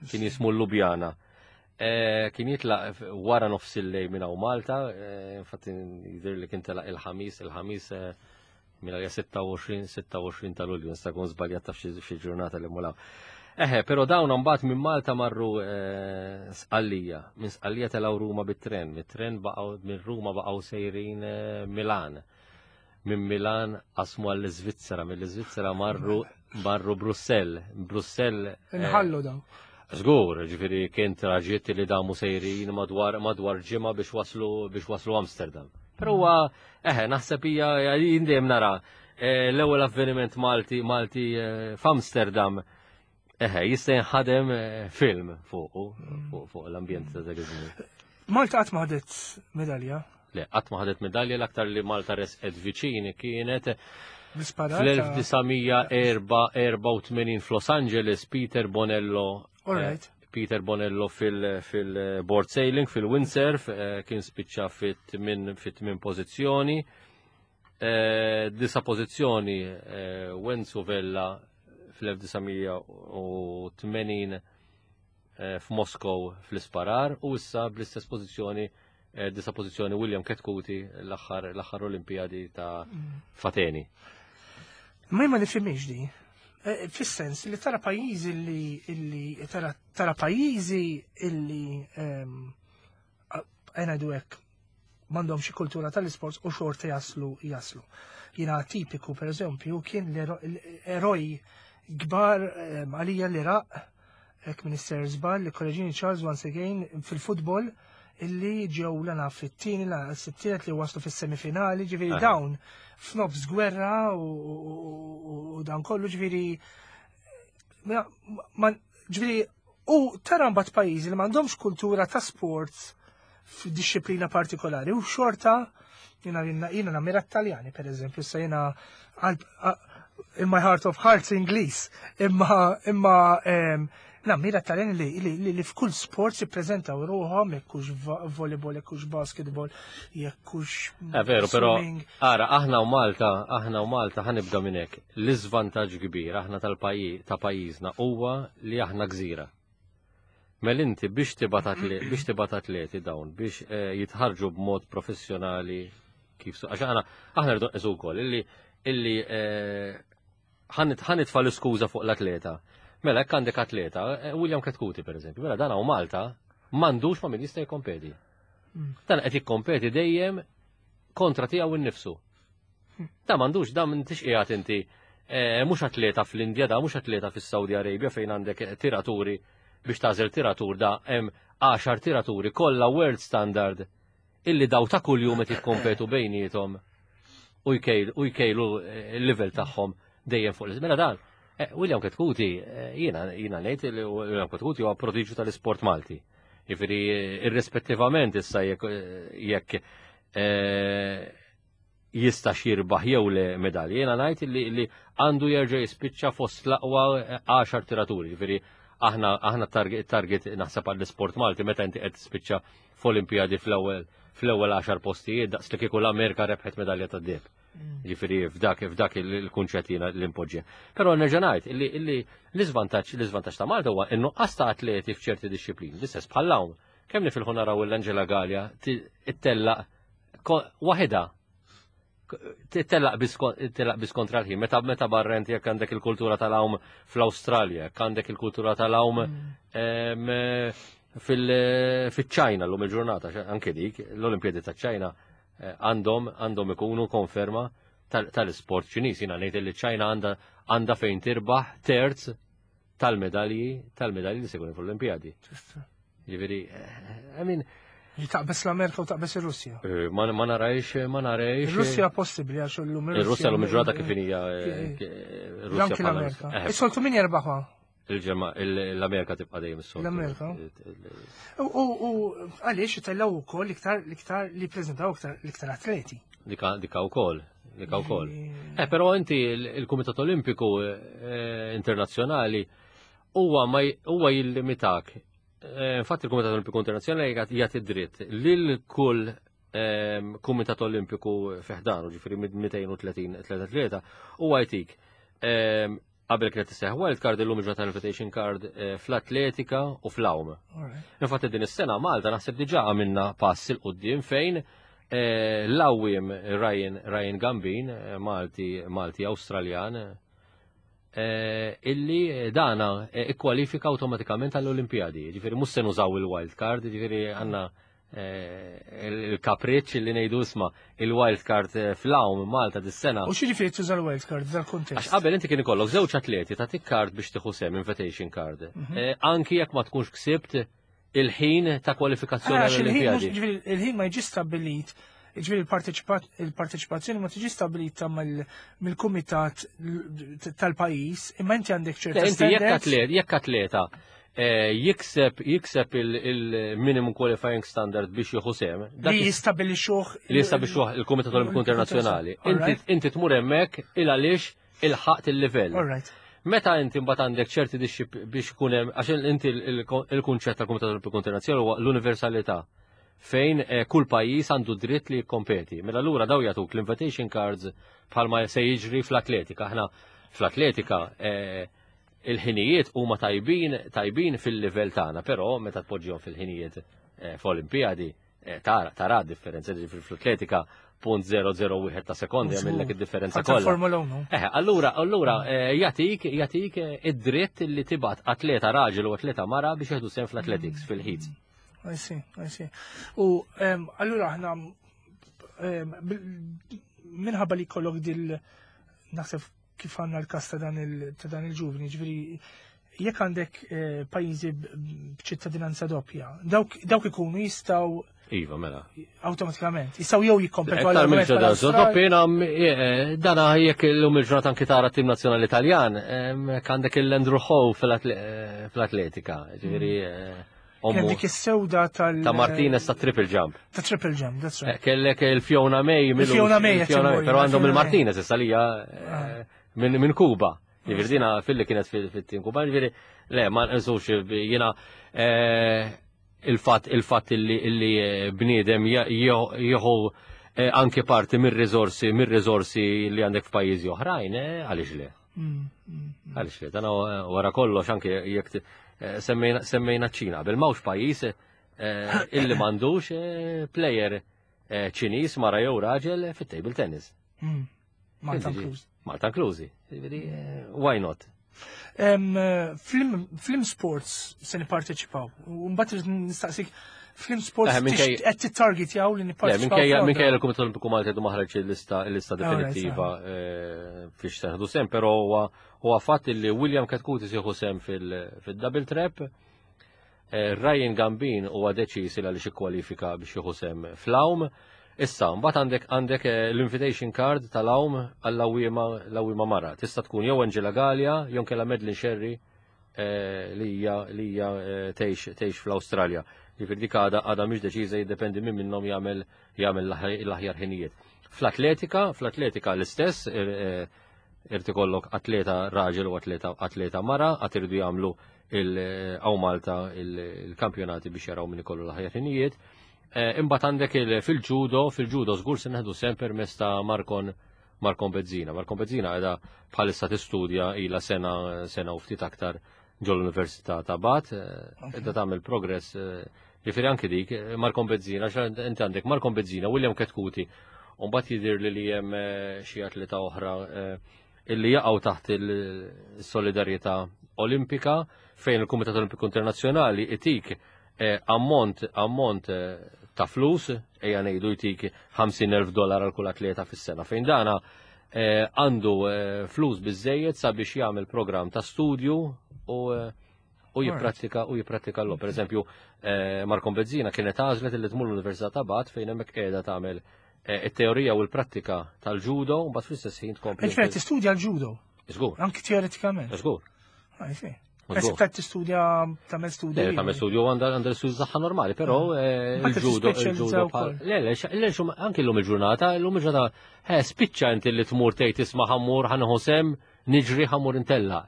Kien jismu Ljubljana. Eh, kien jitlaq wara nofs il-lejl minn hawn Malta, eh, infatti jidher li kien telaq il-ħamis, il-ħamis eh, minn għalija sitta u għoxrin sitta u għoxrin ta' Lulju, nista' nkun żbaljat taf xi xi ġurnata li mulaw. Eħe, però dawn mbagħad minn Malta marru eh, Sqallija, minn Sqallija telgħu Ruma bit-tren, mit-tren baqgħu minn Ruma baqgħu sejrin eh, Milan. Minn Milan qasmu għall-Iżvizzera, mill-Iżvizzera marru marru Brussell, Brussell. eh, Nħallu daw. Żgur, ġifieri kien traġitt li damu sejrin madwar madwar ġimgħa biex waslu biex waslu Amsterdam. Però huwa eħe, naħseb hija jien dejjem nara eh, l-ewwel avveniment Malti Malti eh, f'Amsterdam, eħe, jista' jinħadem eh, film fuq fuq fuq l-ambjent ta' dak iż-żmien. Malta qatt ma ħadet medalja. Le, qatt ma ħadet medalja. L-aktar li Malta resqet viċini kienet Bl-isparar. fl-elf disa' mija erbgħa u tmenin f'Los Angeles, Peter Bonello. All right. eh, Peter Bonello fil-board sailing, fil-windsurf, eh, kien spiċċa fit-tmin fit-tmin pożizzjoni. Eh, Disa' pożizzjoni eh, Wenzu Vella fl-elf disa' mija u tmenin eh, f'Moskow fl-isparar u issa bl-istess pożizzjoni, eh, disa' pożizzjoni, William Chetcuti l-aħħar l-aħħar Olimpijadi ta' f'Ateni. Ma jien ma nifhimx di. Eh, Fis-sens li tara pajjiżi li illi tara tara pajjiżi illi ehm, għena hekk m'għandhom xi kultura tal-isports u xorta jaslu jaslu. Jiena tipiku, per eżempju, kien l-eroj kbar ehm, għalija l-Iraq, hekk Minister żball li korreġini Charles once again, fil-futbol illi ġew l fit-tieni la s-tielet li waslu fis-semifinali, ġifieri Aha. dawn f'nofs gwerra u, u, u dan kollu, ġifieri ma, ma ġifieri u tara mbagħad pajjiżi li m'għandhomx kultura ta' sports f'dixxiplina partikolari u xorta jiena jiena jiena nammira Taljani, per eżempju, issa jiena għal- a- in my heart of hearts Ingliż, imma imma em, nammira Taljani li, li, li, li f'kull sport jippreżentaw ruħhom, jekk hux va- volleyball, jekk hux basketball, jekk hux Eh, veru, però swimming. ara, aħna u Malta, aħna u Malta ħa nibda minn hekk. L-iżvantaġġ kbir aħna tal-pajjiż ta' pajjiżna huwa li aħna gżira. Mela inti biex tibgħat atle- biex tibgħat atleti dawn biex eh, jitħarġu b'mod professjonali kif su għax aħna aħna rridu nqisu wkoll illi illi eh, ħa nitfa' l-iskuża fuq l-atleta. Mela hekk għandek atleta, eh, William Chetcuti per eżempju, mela dan hawn Malta m'għandux ma' min jista' jikkompeti. Mm. Dan qed jikkompeti dejjem kontra tiegħu innifsu. Da m'għandux, da m'intix qiegħed inti eh, mhux atleta fl-Indja, da mhux atleta fis-Saudi Arabia fejn għandek tiraturi biex tagħżel tiratur, da hemm għaxar tiraturi kollha world standard illi daw ta' kuljum qed jikkompetu bejniethom u jkejlu u jkejlu eh, il-livell tagħhom dejjem fuq l. Mela dan, eh, William Chetcuti, eh, jiena jiena ngħid li William Chetcuti huwa prodiġu tal-isport Malti. Jiġifieri irrispettivament issa jekk jekk eh, jistax jirbaħ jew le medalji. Jiena ngħid li, li għandu jerġa' jispiċċa fost l-aqwa għaxar tiraturi. Jiġifieri aħna aħna target, target naħseb għall-isport Malti meta inti qed tispiċċa f'Olimpijadi fl-ewwel fl-ewwel għaxar postijiet daqs li kieku l-Amerika rebħet medalja tad-deheb. Ġifieri f'dak f'dak il-kunċett jiena l-impoġġi. Però nerġa' ngħid illi illi l-iżvantaġġ l-iżvantaġġ ta' Malta huwa in-nuqqas ta' atleti f'ċerti dixxiplini. L-istess bħal hawn. Kemm nifilħu naraw l-Angela Gallia ittellaq waħedha, tellaq biss kontra l-ħin. Meta meta barrent jekk għandek il-kultura tal-għawm fl-Awstralja, jekk għandek il-kultura tal-għawm fil-ċajna l-lum il-ġurnata, anke dik, l-Olimpjadi ta' ċajna eh, għandhom għandhom ikunu konferma tal-sport Ċiniż. Jiena ngħid li ċajna għandha fejn tirbaħ terz tal-medalji tal-medalji li se jkunu fl-Olimpjadi. Ġifieri, eh, I mean, Li taqbes l-Amerika u taqbes ir-Russja. Eh, ma ma narajx, ma narajx. Ir-Russja possibbli għax illum Ir-Russja l-lum il-ġurnata kif hija Russja. L-Amerika. Is-soltu min jerbaħha? Il-ġemma, l-Amerika tibqa' dejjem is-soltu. L-Amerika. U għaliex itellaw ukoll iktar l-iktar li preżentaw iktar l-iktar atleti. Dika dika wkoll, dika wkoll. Eh, però inti il-Kumitat Olimpiku eh, Internazzjonali huwa ma huwa jillimitak. Eh, infatti il-Kumitat Olimpiku Internazzjonali jagħti dritt lil kull ehm, Kumitat Olimpiku fi ħdanu, ġifieri mitejn u tletin atleta, huwa jtik ehm, qabel kienet isseħ wild card, illum ġata invitation card eh, fl-atletika u fl-għawm. Infatti din is-sena Malta naħseb diġà għamilna pass 'il quddiem fejn eh, l-għawwiem Ryan Ryan Gambin, eh, Malti Malti Awstraljan, illi dana ikkwalifika awtomatikament għall-Olimpijadi. Ġifieri mhux se nużaw il-wild card, ġifieri għandna il-kapriċ li ngħidu isma' il-wild card fl-għawm Malta dis-sena. U x'jiġifieri tuża l-wild card dal-kuntest? Għax qabel inti kien ikollok żewġ atleti ta' card biex tieħu sehem, invitation card. Mhm. Anki jekk ma tkunx ksibt il-ħin ta' kwalifikazzjoni għall-Olimpijadi. Il-ħin ma jiġi stabbilit, ġifieri il-parteċipazzjoni ma tiġi stabilita mill-kumitat tal-pajjiż, imma inti għandek ċerta Inti jekk atlet, jekk atleta eh, jikseb jikseb il-minimum qualifying standard biex jieħu sehem. Li jistabilixuh. Li jistabilixuh il-Kumitat Olimpiku Internazzjonali. Inti tmur hemmhekk il għaliex ilħaqt il-livell. Meta inti mbagħad għandek ċerti dixxi biex ikun hemm, għax inti il-kunċett tal-Kumitat Olimpiku Internazzjonali huwa l-universalità fejn eh, kull pajjiż għandu dritt li jikkompeti. Mela allura daw jagħtuk l-invitation cards bħalma se jiġri fl-atletika. Aħna fl-atletika eh, il-ħinijiet huma tajbin tajbin fil-livell tagħna, però meta tpoġġihom fil-ħinijiet eh, f'Olimpijadi tara tara differenza, ġifieri fl-atletika punt zero zero wieħed ta' sekondi jagħmellek id-differenza kollha. Formula one. Eh, allura allura jagħtik jagħtik id-dritt li tibgħat atleta raġel u atleta mara biex jieħdu sehem fl-athletics fil-heats. I see, I see. U allura aħna minħabba li kollok dil naħseb kif għandna l-kas ta' dan il-ġuvni, ġifieri jekk għandek eh, pajjiżi b'ċittadinanza doppja, dawk ikunu jistgħu Iva, mela. Automatikament. Jistgħu jew jikkompetu għal mill-ċittadinanza doppja, eh, dana jekk illum il-ġurnata anki tara tim nazzjonali Italjan, għandek il-Andrew Howe fl-atletika, ġifieri mm. Kien dik is-sewda tal- Ta' Martinez ta' triple jump. Ta' triple jump, that's right. Eh, kellek il-Fiona May. Il-Fiona May, però għandhom il-Martinez issa li ah. minn Kuba. Ġifieri dina fil-li kienet fit-tim Kuba, ġifieri le, ma nqisux jiena eh, il-fatt il-fatt illi eh, bniedem jieħu anke parti mir-riżorsi mir-riżorsi li għandek f'pajjiżi oħrajn, għaliex le? Mm, mm, mm. Għaliex le? Dan wara kollox anke jekk Eh, semmejna ċina, bil m'hawnx pajjiż eh, illi m'għandux eh, player Ċiniż mara jew raġel fit-table tennis. Mm. Malta inklużi. Malta inklużi. Why not? F'liema sports se nipparteċipaw. U mbagħad nistaqsik f'liema sports qed tittargetjaw li nipparteċipaw. Minkejja l-Kumitat Olimpiku Malti għadu ma ħareġ il-lista definitiva fiex se nieħdu sehem, però huwa fatt li William Chetcuti se jieħu sehem fil-double trap. Ryan Gambin huwa deċiż li għaliex ikkwalifika biex jieħu sehem fl-għawm. Issa, mbagħad għandek għandek l-invitation card tal-għawm għall-għawwiema l-għawwiema mara. Tista' tkun jew Angela Gallia, jew kella Madeline Sherry li hija li hija tgħix tgħix fl-Awstralja. Ġifieri dik għadha għadha mhix deċiża, jiddependi minn minnhom jagħmel jagħmel l-aħjar ħinijiet. Fl-atletika, fl-atletika l-istess, irid ikollok atleta raġel u atleta atleta mara, għad iridu jagħmlu il Malta il-kampjonati biex jaraw min ikollu l-aħjar ħinijiet. Imbagħad għandek fil-ġudo, fil-ġudo żgur se neħdu sehem permezz ta' Markon Markon Bezzina. Markon Bezzina qiegħda bħalissa tistudja ilha sena sena u ftit aktar ġol-Università ta' Bath, qiegħda tagħmel progress. Ġifieri anki dik Markon Bezzina, inti għandek Markon Bezzina, William Chetcuti, u mbagħad jidher li li hemm xi atleta oħra illi jaqgħu taħt il-solidarjetà Olimpika fejn il-Kumitat Olimpiku Internazzjonali itik ammont ammont ta' flus, ejja ngħidu jtik ħamsin elf dollar għal kull atleta fis-sena. Fejn dana għandu flus biżejjed sabiex jagħmel programm ta' studju u u jipprattika u jipprattika l Per eżempju, Markon Bezzina kienet għażlet li tmur l-Università ta' Bath fejn hemmhekk qiegħda tagħmel it-teorija u l-prattika tal-ġudo u mbagħad fl-istess ħin tkompli. Ġifieri tistudja l-ġudo? Żgur. Anki teoretikament? Żgur. Qed tistudja tagħmel studju. Tagħmel studju għandha għandha l-studju tagħha normali, però il-ġudo il-ġudo Le, le, le, anki llum il-ġurnata, llum il-ġurnata, spiċċa inti li tmur tgħid isma' ħammur ħanieħu sehem, niġri ħammur intella.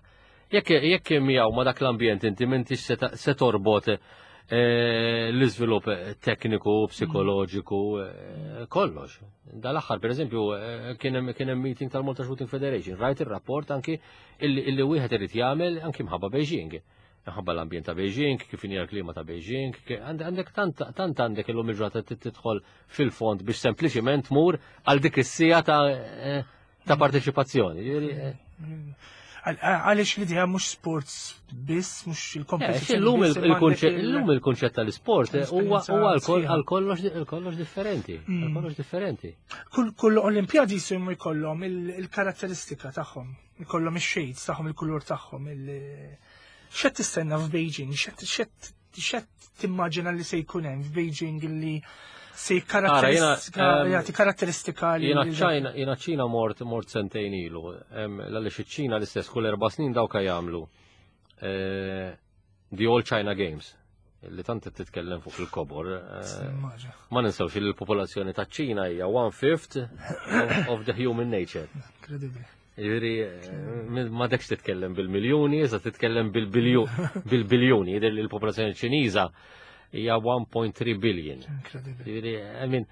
Jekk jekk miegħu ma dak l-ambjent inti m'intix se torbot l-iżvilupp tekniku, psikoloġiku, kollox. Dal-aħħar, per eżempju, kien hemm meeting tal-Malta Shooting Federation, rajt ir-rapport anki illi wieħed irid jagħmel anki mħabba Beijing. Mħabba l-ambjent ta' Beijing, kif inhi l-klima ta' Beijing, għandek tant għandek illum il-ġurnata tidħol fil-fond biex sempliċiment tmur għal dik is-sija ta' parteċipazzjoni. Għaliex l-idea mhux sports biss, mhux il-kompetizzjoni. Illum il-kunċett tal-isport huwa għal kollox differenti, għal kollox differenti. Kull Olimpjadi jsimu jkollhom il-karatteristika tagħhom, jkollhom ix-shades tagħhom, il-kulur tagħhom. X'qed tistenna f'Beijing? X'qed timmaġina li se jkun hemm f'Beijing li se jagħti karatteristika li jiena ċ-Ċina jiena ċ-Ċina mort mort sentejn ilu. Għaliex iċ-Ċina l-istess kull erba' snin dawka jagħmlu the All China Games li tant qed titkellem fuq il-kobor. Ma ninsewx li l-popolazzjoni taċ-Ċina hija one fifth of the human nature. Incredibbli. Jiġifieri ma dekx titkellem bil-miljuni, iżda titkellem bil-biljuni, jidher li l-popolazzjoni Ċiniża hija one point three billion. Jiġifieri, I mean,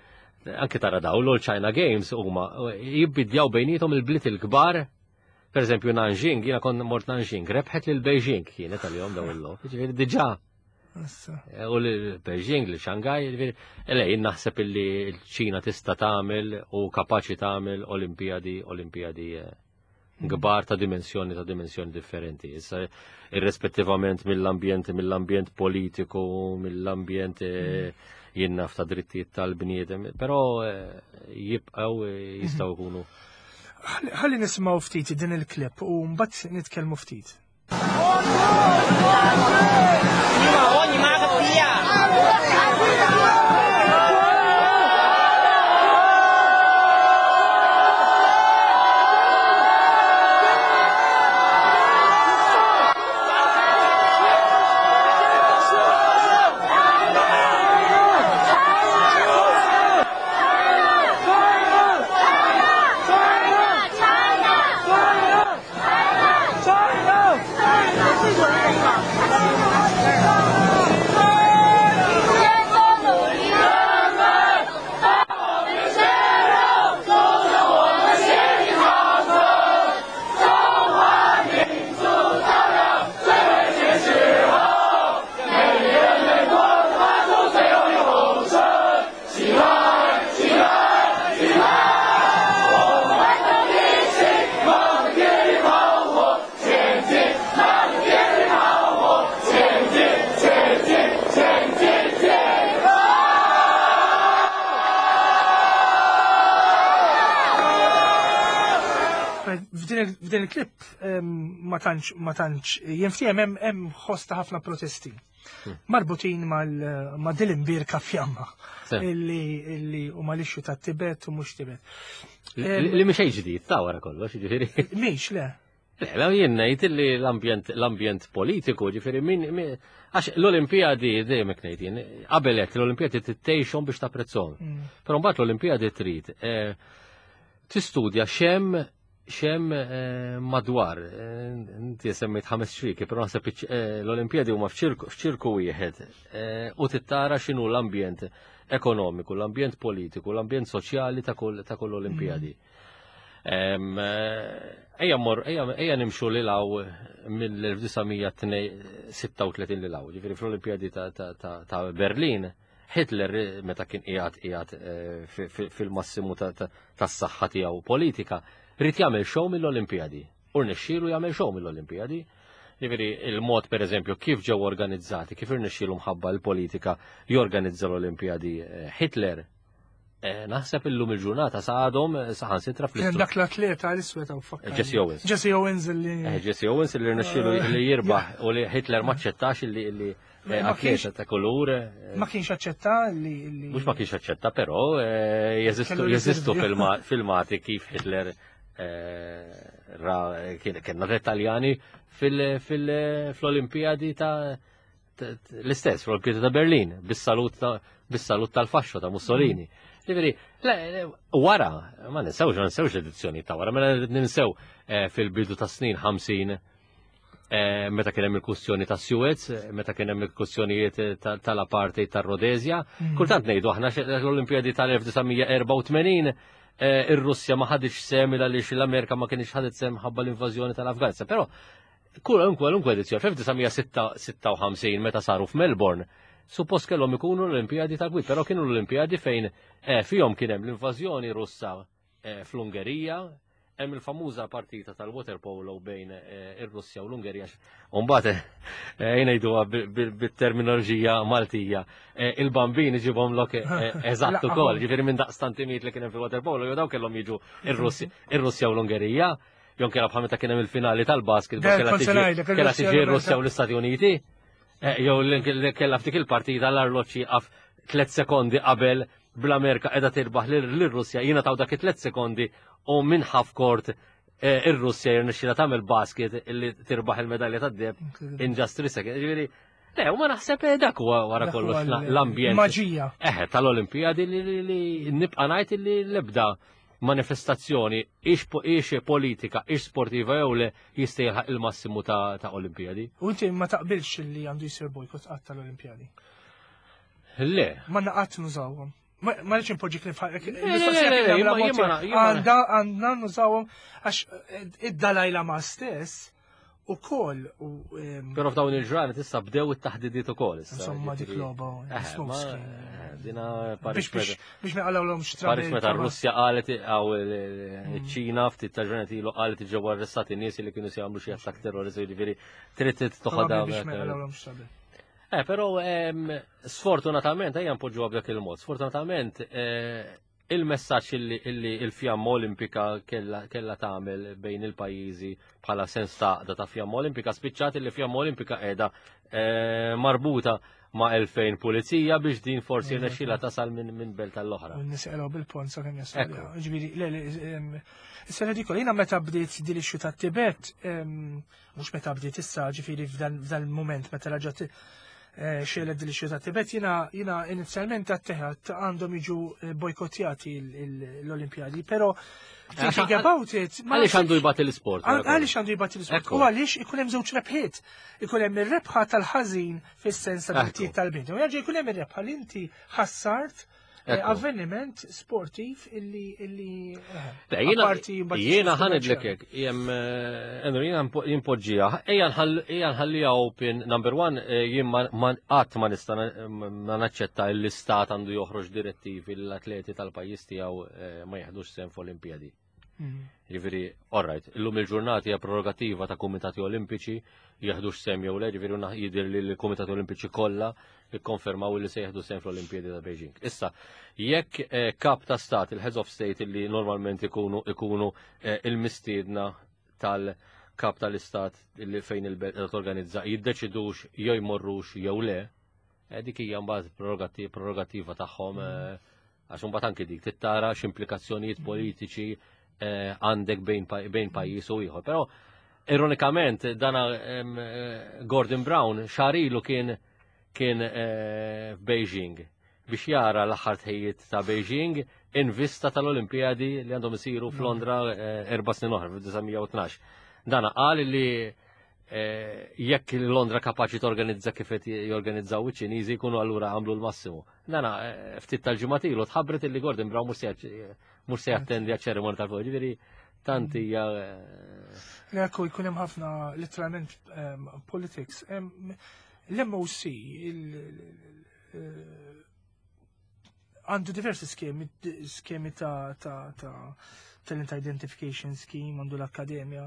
anke tara daw l-All China Games huma jibbidjaw bejnietom il-bliet il-kbar. Per eżempju Nanjing, jiena kont mort Nanjing, rebħet lil Beijing kienet għalihom daw il-logħob. Jiġifieri diġà. U lil Beijing, lil Shanghai, jiġifieri, le, jien naħseb illi l-Ċina tista' tagħmel u kapaċi tagħmel Olimpijadi, Olimpijadi kbar ta' dimensjoni ta' dimensjoni differenti. Issa irrispettivament mill-ambjent, mill-ambjent politiku, mill-ambjent jien naf ta' drittijiet tal-bniedem, però jibqgħu jistgħu jkunu. Ħalli nisimgħu ftit din il-klip u mbagħad nitkellmu ftit. China! China! il-klip em, ma tantx ma tantx jinftiehem hemm hemm ħosta ħafna protesti marbutin mal ma' din l-imbierka fjamma Se. illi illi u mal-issue ta' Tibet u mhux Tibet. Li li mhix xejn ġdid ta' wara kollox, ġifieri. Mhix le. Le, la jien ngħid li l-ambjent l-ambjent politiku, ġifieri min min- għax l-Olimpijadi dejjem hekk ngħid jien, qabel hekk l-Olimpijadi tittejxhom biex tapprezzhom. Mm. Però mbagħad l-Olimpijadi trid eh, tistudja x'hemm x'hemm eh, madwar. Eh, Inti semmejt ħames ċrieki, però naħseb iċ- eh, l-Olimpijadi huma f'ċirku f'ċirku wieħed eh, u tittara x'inhu l-ambjent ekonomiku, l-ambjent politiku, l-ambjent soċjali ta' kull ta' kull Olimpijadi. Em, eh, Ejja mor, ejja ejja nimxu lil hawn mill-elf disa' mija sitta u tletin lil hawn, ġifieri fl-Olimpijadi ta' ta' ta' ta' Berlin, Hitler eh, meta kien qiegħed qiegħed eh, fi- fi- fil-massimu ta- ta- tas-saħħa tiegħu politika, ried jagħmel show mill-Olimpijadi. U rnexxielu jagħmel show mill-Olimpijadi. Ġifieri il-mod per eżempju kif ġew organizzati, kif irnexxielu mħabba l-politika jorganizza l-Olimpijadi eh, Hitler, eh, naħseb illum il-ġurnata sa għadhom eh, saħansitra Kien fl dak l-atleta l-iswed hawn fakkar. Jesse Owens. Jesse Owens li Eh, Jesse Owens li rnexxielu li jirbaħ u li Hitler ma aċċettax li li eh, Ma atleta ta' kulur. eh, ma kienx aċċetta li li Mhux ma kienx aċċetta, però eh, jeżistu Kellu jeżistu riservi. filma- filmati kif Hitler eh, ra kien kienna Taljani fil-Olimpijadi ta' ta- l-istess, fl-Olimpijadi ta' Berlin, bis-salut ta' bis-salut tal-faxxo ta' Mussolini. Ġifieri, le, le, wara, ma ninsewx, ma ninsewx l-edizzjoni ta' wara, mela ninsew eh, fil-bidu ta' snin ħamsin eh, meta kien hemm il-kwistjoni ta' Suez, eh, meta kien hemm il-kwistjonijiet eh, ta- tal-apartheid tar-Rodezja. Kultant ngħidu aħna xe- l-Olimpijadi tal-elf disa' mija erbgħa u tmenin eh, ir-Russja ma ħaditx sehem għaliex l-Amerika ma kienx ħadet sehem ħabba l-invażjoni tal-Afganistan. Però kwalunkwe edizzjoni fl-elf disa' mija sitta u ħamsin meta saru f'Melbourne, suppost kellhom ikunu l-Olimpijadi tal-Gwid, però kienu l-Olimpijadi fejn eh, fihom kien hemm l-invażjoni Russa eh, fl-Ungerija, hemm il-famuża partita tal-waterpolo bejn eh, ir-Russja u l-Ungerija. Umbagħad eh, jgħiduha bit-terminoloġija Maltija, eh, il-bambin iġibhom lok eh, eżatt ukoll, ġifieri minn daqstant imiet li kien hemm fil-waterpolo, jew daw kellhom jiġu ir-Russja u l-Ungerija. Jon kella bħal meta kien hemm il-finali tal-basket, Der, kella kont se tiġi ngħidlek, kella il-Russja tiġi u ir-Russja u l-Istati Uniti. Eh, Jew li kella f'dik il-partita l-arloġġ jieqaf tliet sekondi qabel bl-Amerika qiegħda tirbaħ lir-Russja, jiena taw dak it-tliet sekondi u minn half court eh, ir-Russja jirnexxila tagħmel basket illi tirbaħ il-medalja tad-deheb in just three seconds. Ġifieri, le, u ma naħseb eh, dak huwa wara Dak kollox huwa l- l-ambjent. Maġija. Eħe, tal-Olimpijadi li, li, li nibqa' ngħid li l-ebda manifestazzjoni ix, po- ix politika, ix sportiva jew le jista' jilħaq il-massimu ta', ta' Olimpijadi. U inti ma taqbilx li għandu jsir bojkott qatt tal-Olimpijadi. Le. Ma naqat nużawhom. Ma ma rridx inpoġġi klif le, le, le, jien ma- jien ma- jien ma- Għanda għandna nużawhom għax id-Dalai Lama stess u koll u em, Però f'dawn il-ġranet issa bdew it-taħdidiet ukoll issa. Insomma dik ġifieri- logħba Eh, smoke ma- screen. eh, Dina Paris Biex biex biex ma jqalgħulhomx Paris trabi. meta r-Russja qalet għaw il-Ċina ftit ta' ġranet ilu qalet ġew arrestati nies li kienu se jagħmlu xi attakk terroristi, ġifieri trid toħodha. Biex ma jqalgħulhomx trabi. Eh, però ehm, sfortunatament, ejja npoġġuha b'dak il-mod, sfortunatament eh, il-messaġġ illi, illi il-fjamma olimpika kella, kella tagħmel bejn il-pajjiżi bħala sens ta' għaqda ta' fjamma olimpika, spiċċat illi fjamma olimpika qiegħda eh, marbuta ma' elfejn pulizija biex din forsi rnexxila tasal minn min belt tal-oħra. U n-nies bil-pont sa' kemm jasal. Ekku. Ġifieri, le, le, em, issa ridikol, jiena meta bdiet din l-issue ta' Tibet, em, mhux meta bdiet issa, ġifieri f'dan f'dan il-moment meta raġat eh, xegħlet din l-issue ta' Tibet, jiena jiena inizjalment għatteħat għandhom jiġu eh, bojkottjati l- l- l-Olimpjadi, però thinking about it, ma Għaliex għandu jbati l-sport? Għal- Għaliex għandu jbati l-sport? Ekku. U għaliex ikun hemm żewġ rebħiet. Ikun hemm ir-rebħa tal-ħażin fis-sens ta' Ekku. drittijiet tal-bniedem. U jerġa' jkun hemm ir-rebħa li inti ħassart eh, Ekku. avveniment sportiv illi illi eh, Le, jiena apparti mbagħad jiena xi ħa ngħidlek kummerċjali. hekk, jem Enru jiena jimpoġġija, ejja nħall- ejja nħallija open number one, eh, jien ma ma- qatt ma nista' na- ma naċċetta l-istat għandu joħroġ direttivi l-atleti tal-pajjiż tiegħu eh, ma jeħdux sehem f'Olimpijadi. Mm. Ġifieri, all right, illum il-ġurnati hija prerogativa ta' Kumitati Olimpiċi jeħdux sehem jew le, ġifieri naħ- jidher li l-Kumitati Olimpiċi kollha ikkonfermaw li se jeħdu sehem fl-Olimpijadi ta' Beijing. Issa, jekk eh, kap ta' stat, il-heads of state li normalment ikunu ikunu eh, il-mistiedna tal-kap tal-istat li fejn il-belt torganizza jiddeċidux jew jmorrux jew le, eh, dik hija mbagħad prerogati- prerogativa tagħhom, eh, għax imbagħad anke dik tittara x'implikazzjonijiet politiċi eh, għandek bejn pa- bejn pajjiż u ieħor. Però ironikament dana em, eh, Gordon Brown xahar ilu kien kien eh, f'Beijing biex jara l-aħħar tħejjiet ta' Beijing in vista tal-Olimpijadi li għandhom isiru f'Londra eh, erba' snin oħra fil-elf disa' mija u tnax. Dana qal li eh, jekk Londra kapaċi torganizza kif qed jorganizzaw iċ-Ċiniżi, jkunu allura għamlu l-massimu. Dana eh, ftit tal-ġimgħat ilu tħabbret illi Gordon Brown mhux se mhux se jattendi għaċ-ċerimonja tal-fuq. Ġifieri tant hija eh, Ekku, jkun hemm ħafna literalment um, politics. Um, L-M O C il- eh, għandu diversi skemi, skemi ta' ta' ta' talent identification scheme, għandu l-akkademja.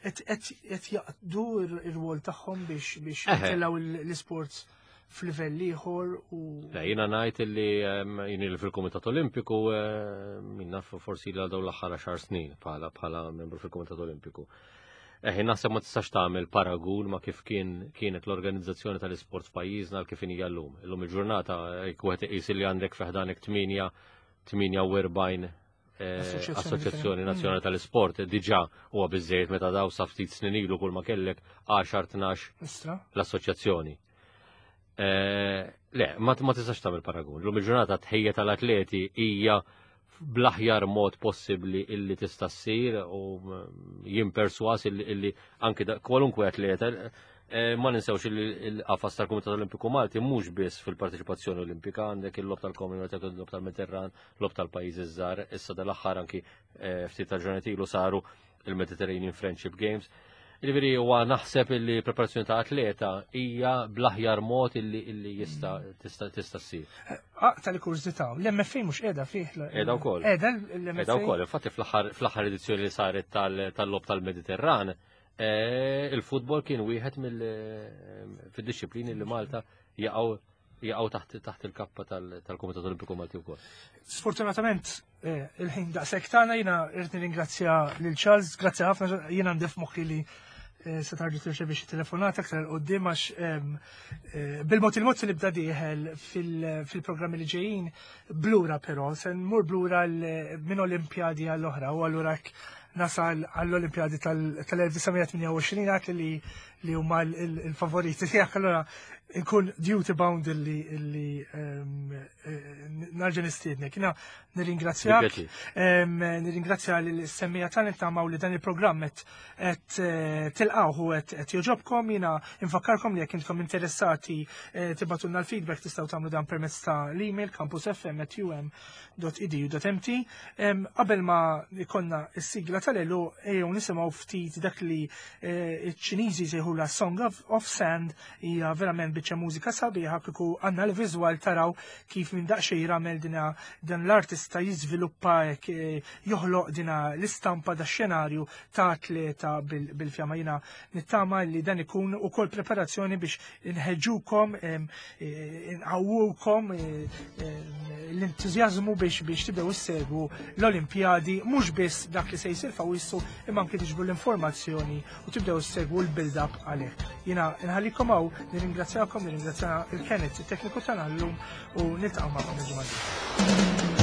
Et, et, et jaqdu ir-rwol tagħhom biex biex Eħe. jtellgħu l-sports f'livell ieħor u Le, jiena ngħid illi em, jien li fil-Kumitat Olimpiku min naf forsi l dawn l-aħħar għaxar snin bħala bħala membru fil-Kumitat Olimpiku. Eħi, naħseb ma tistax tagħmel paragun ma kif kien kienet l-organizzazzjoni tal-isport f'pajjiżna għal kif hija llum. Illum il-ġurnata jekk wieħed iqis li għandek fi ħdanek tmienja tmienja u erbgħin eh, Assoċjazzjoni assoċjazzjoni differenti. nazzjonali tal-isport diġà huwa biżejjed, meta daw sa ftit snin ilu kull ma kellek għaxar, tnax Istra. l-assoċjazzjoni. Eh, Le, ma, ma tistax tagħmel paragun. Lum il-ġurnata tħejja tal-atleti hija bl-aħjar mod possibbli illi tista' ssir u mm, jien perswas illi, illi anki da- kwalunkwe atleta eh, ma ninsewx illi il-qafas tal-Kumitat Olimpiku Malti mhux biss fil-parteċipazzjoni olimpika, għandek il-logħob tal-Commonwealth, il-logħob tal-Mediterran, logħob tal-pajjiżi żgħar, issa dal-aħħar anki eh, ftit tal-ġranet ilu saru il-Mediterranean Friendship Games. Ġifieri huwa naħseb illi preparazzjoni ta' atleta hija bl-aħjar mod illi illi jista' tista' tista' ssir. Ah, tal-kurżità, l-M F A mhux qiegħda fih. Qiegħda wkoll. Qiegħda l-M F A. Qiegħda wkoll, infatti fl-aħħar fl-aħħar edizzjoni li saret tal- tal-logħob tal-Mediterran, eh, il-futbol kien wieħed mill fid-disciplini li Malta jaqgħu jaqgħu taħt taħt il-kappa tal- tal-Kumitat Olimpiku Malti wkoll. Sfortunatament, eh, il-ħin daqshekk tagħna. Jiena irrid nirringrazzja lil Charles, grazzi ħafna. Jiena għandi f'moħħi li eh, se tarġu tirċevi xi telefonata aktar 'il quddiem għax em, eh, bil-mod il-mod se nibda dieħel fil- fil-programmi li ġejjin blura, però se nmur blura l- minn Olimpjadi għall-oħra u allura hekk nasal għall-Olimpjadi tal-elf disa' mija tmienja u għoxrin għak li li huma il-favoriti tiegħek, allura nkun duty bound illi illi em, eh, narġa' nistiednek. Jiena nirringrazzjak. Bi pjaċir. Em, Nirringrazzja l-semmiegħa tagħna, nittamaw li dan il-programm qed qed eh, tilqgħuh u qed qed jogħġobkom. Jiena infakkarkom li jekk intkom interessati eh, tibagħtulna l-feedback, tistgħu tagħmlu dan permezz ta' l-email campusfm at u m dot e d u dot m t. Em, Qabel ma ikonna s-sigla tal-għeluq, ejjew nisimgħu ftit dak li eh, iċ-Ċiniżi sejħula Song of, of Sand. Hija verament biċċa mużika sabiħa. Kieku għandna l-viżwal taraw kif minn daqsxejn ramel dina dan l-artista jiżviluppa hekk, eh, joħloq dina l-istampa da xenarju ta' atleta bil- bil-fjama. Jiena nittama li dan ikun ukoll preparazzjoni biex inħeġġukom, em, eh, inqawwukom eh, em, l-entużjażmu biex biex tibdew issegwu l-Olimpjadi, mhux biss dak li se jsir f'Awwissu, imma anke tiġbru l-informazzjoni u tibdew issegwu l-build-up għalih. Jiena nħallikom hawn, nirringrazzjakom, nirringrazzja il-Kenneth, it-tekniku tagħna llum, u niltaqgħu magħkom il-ġimgħa.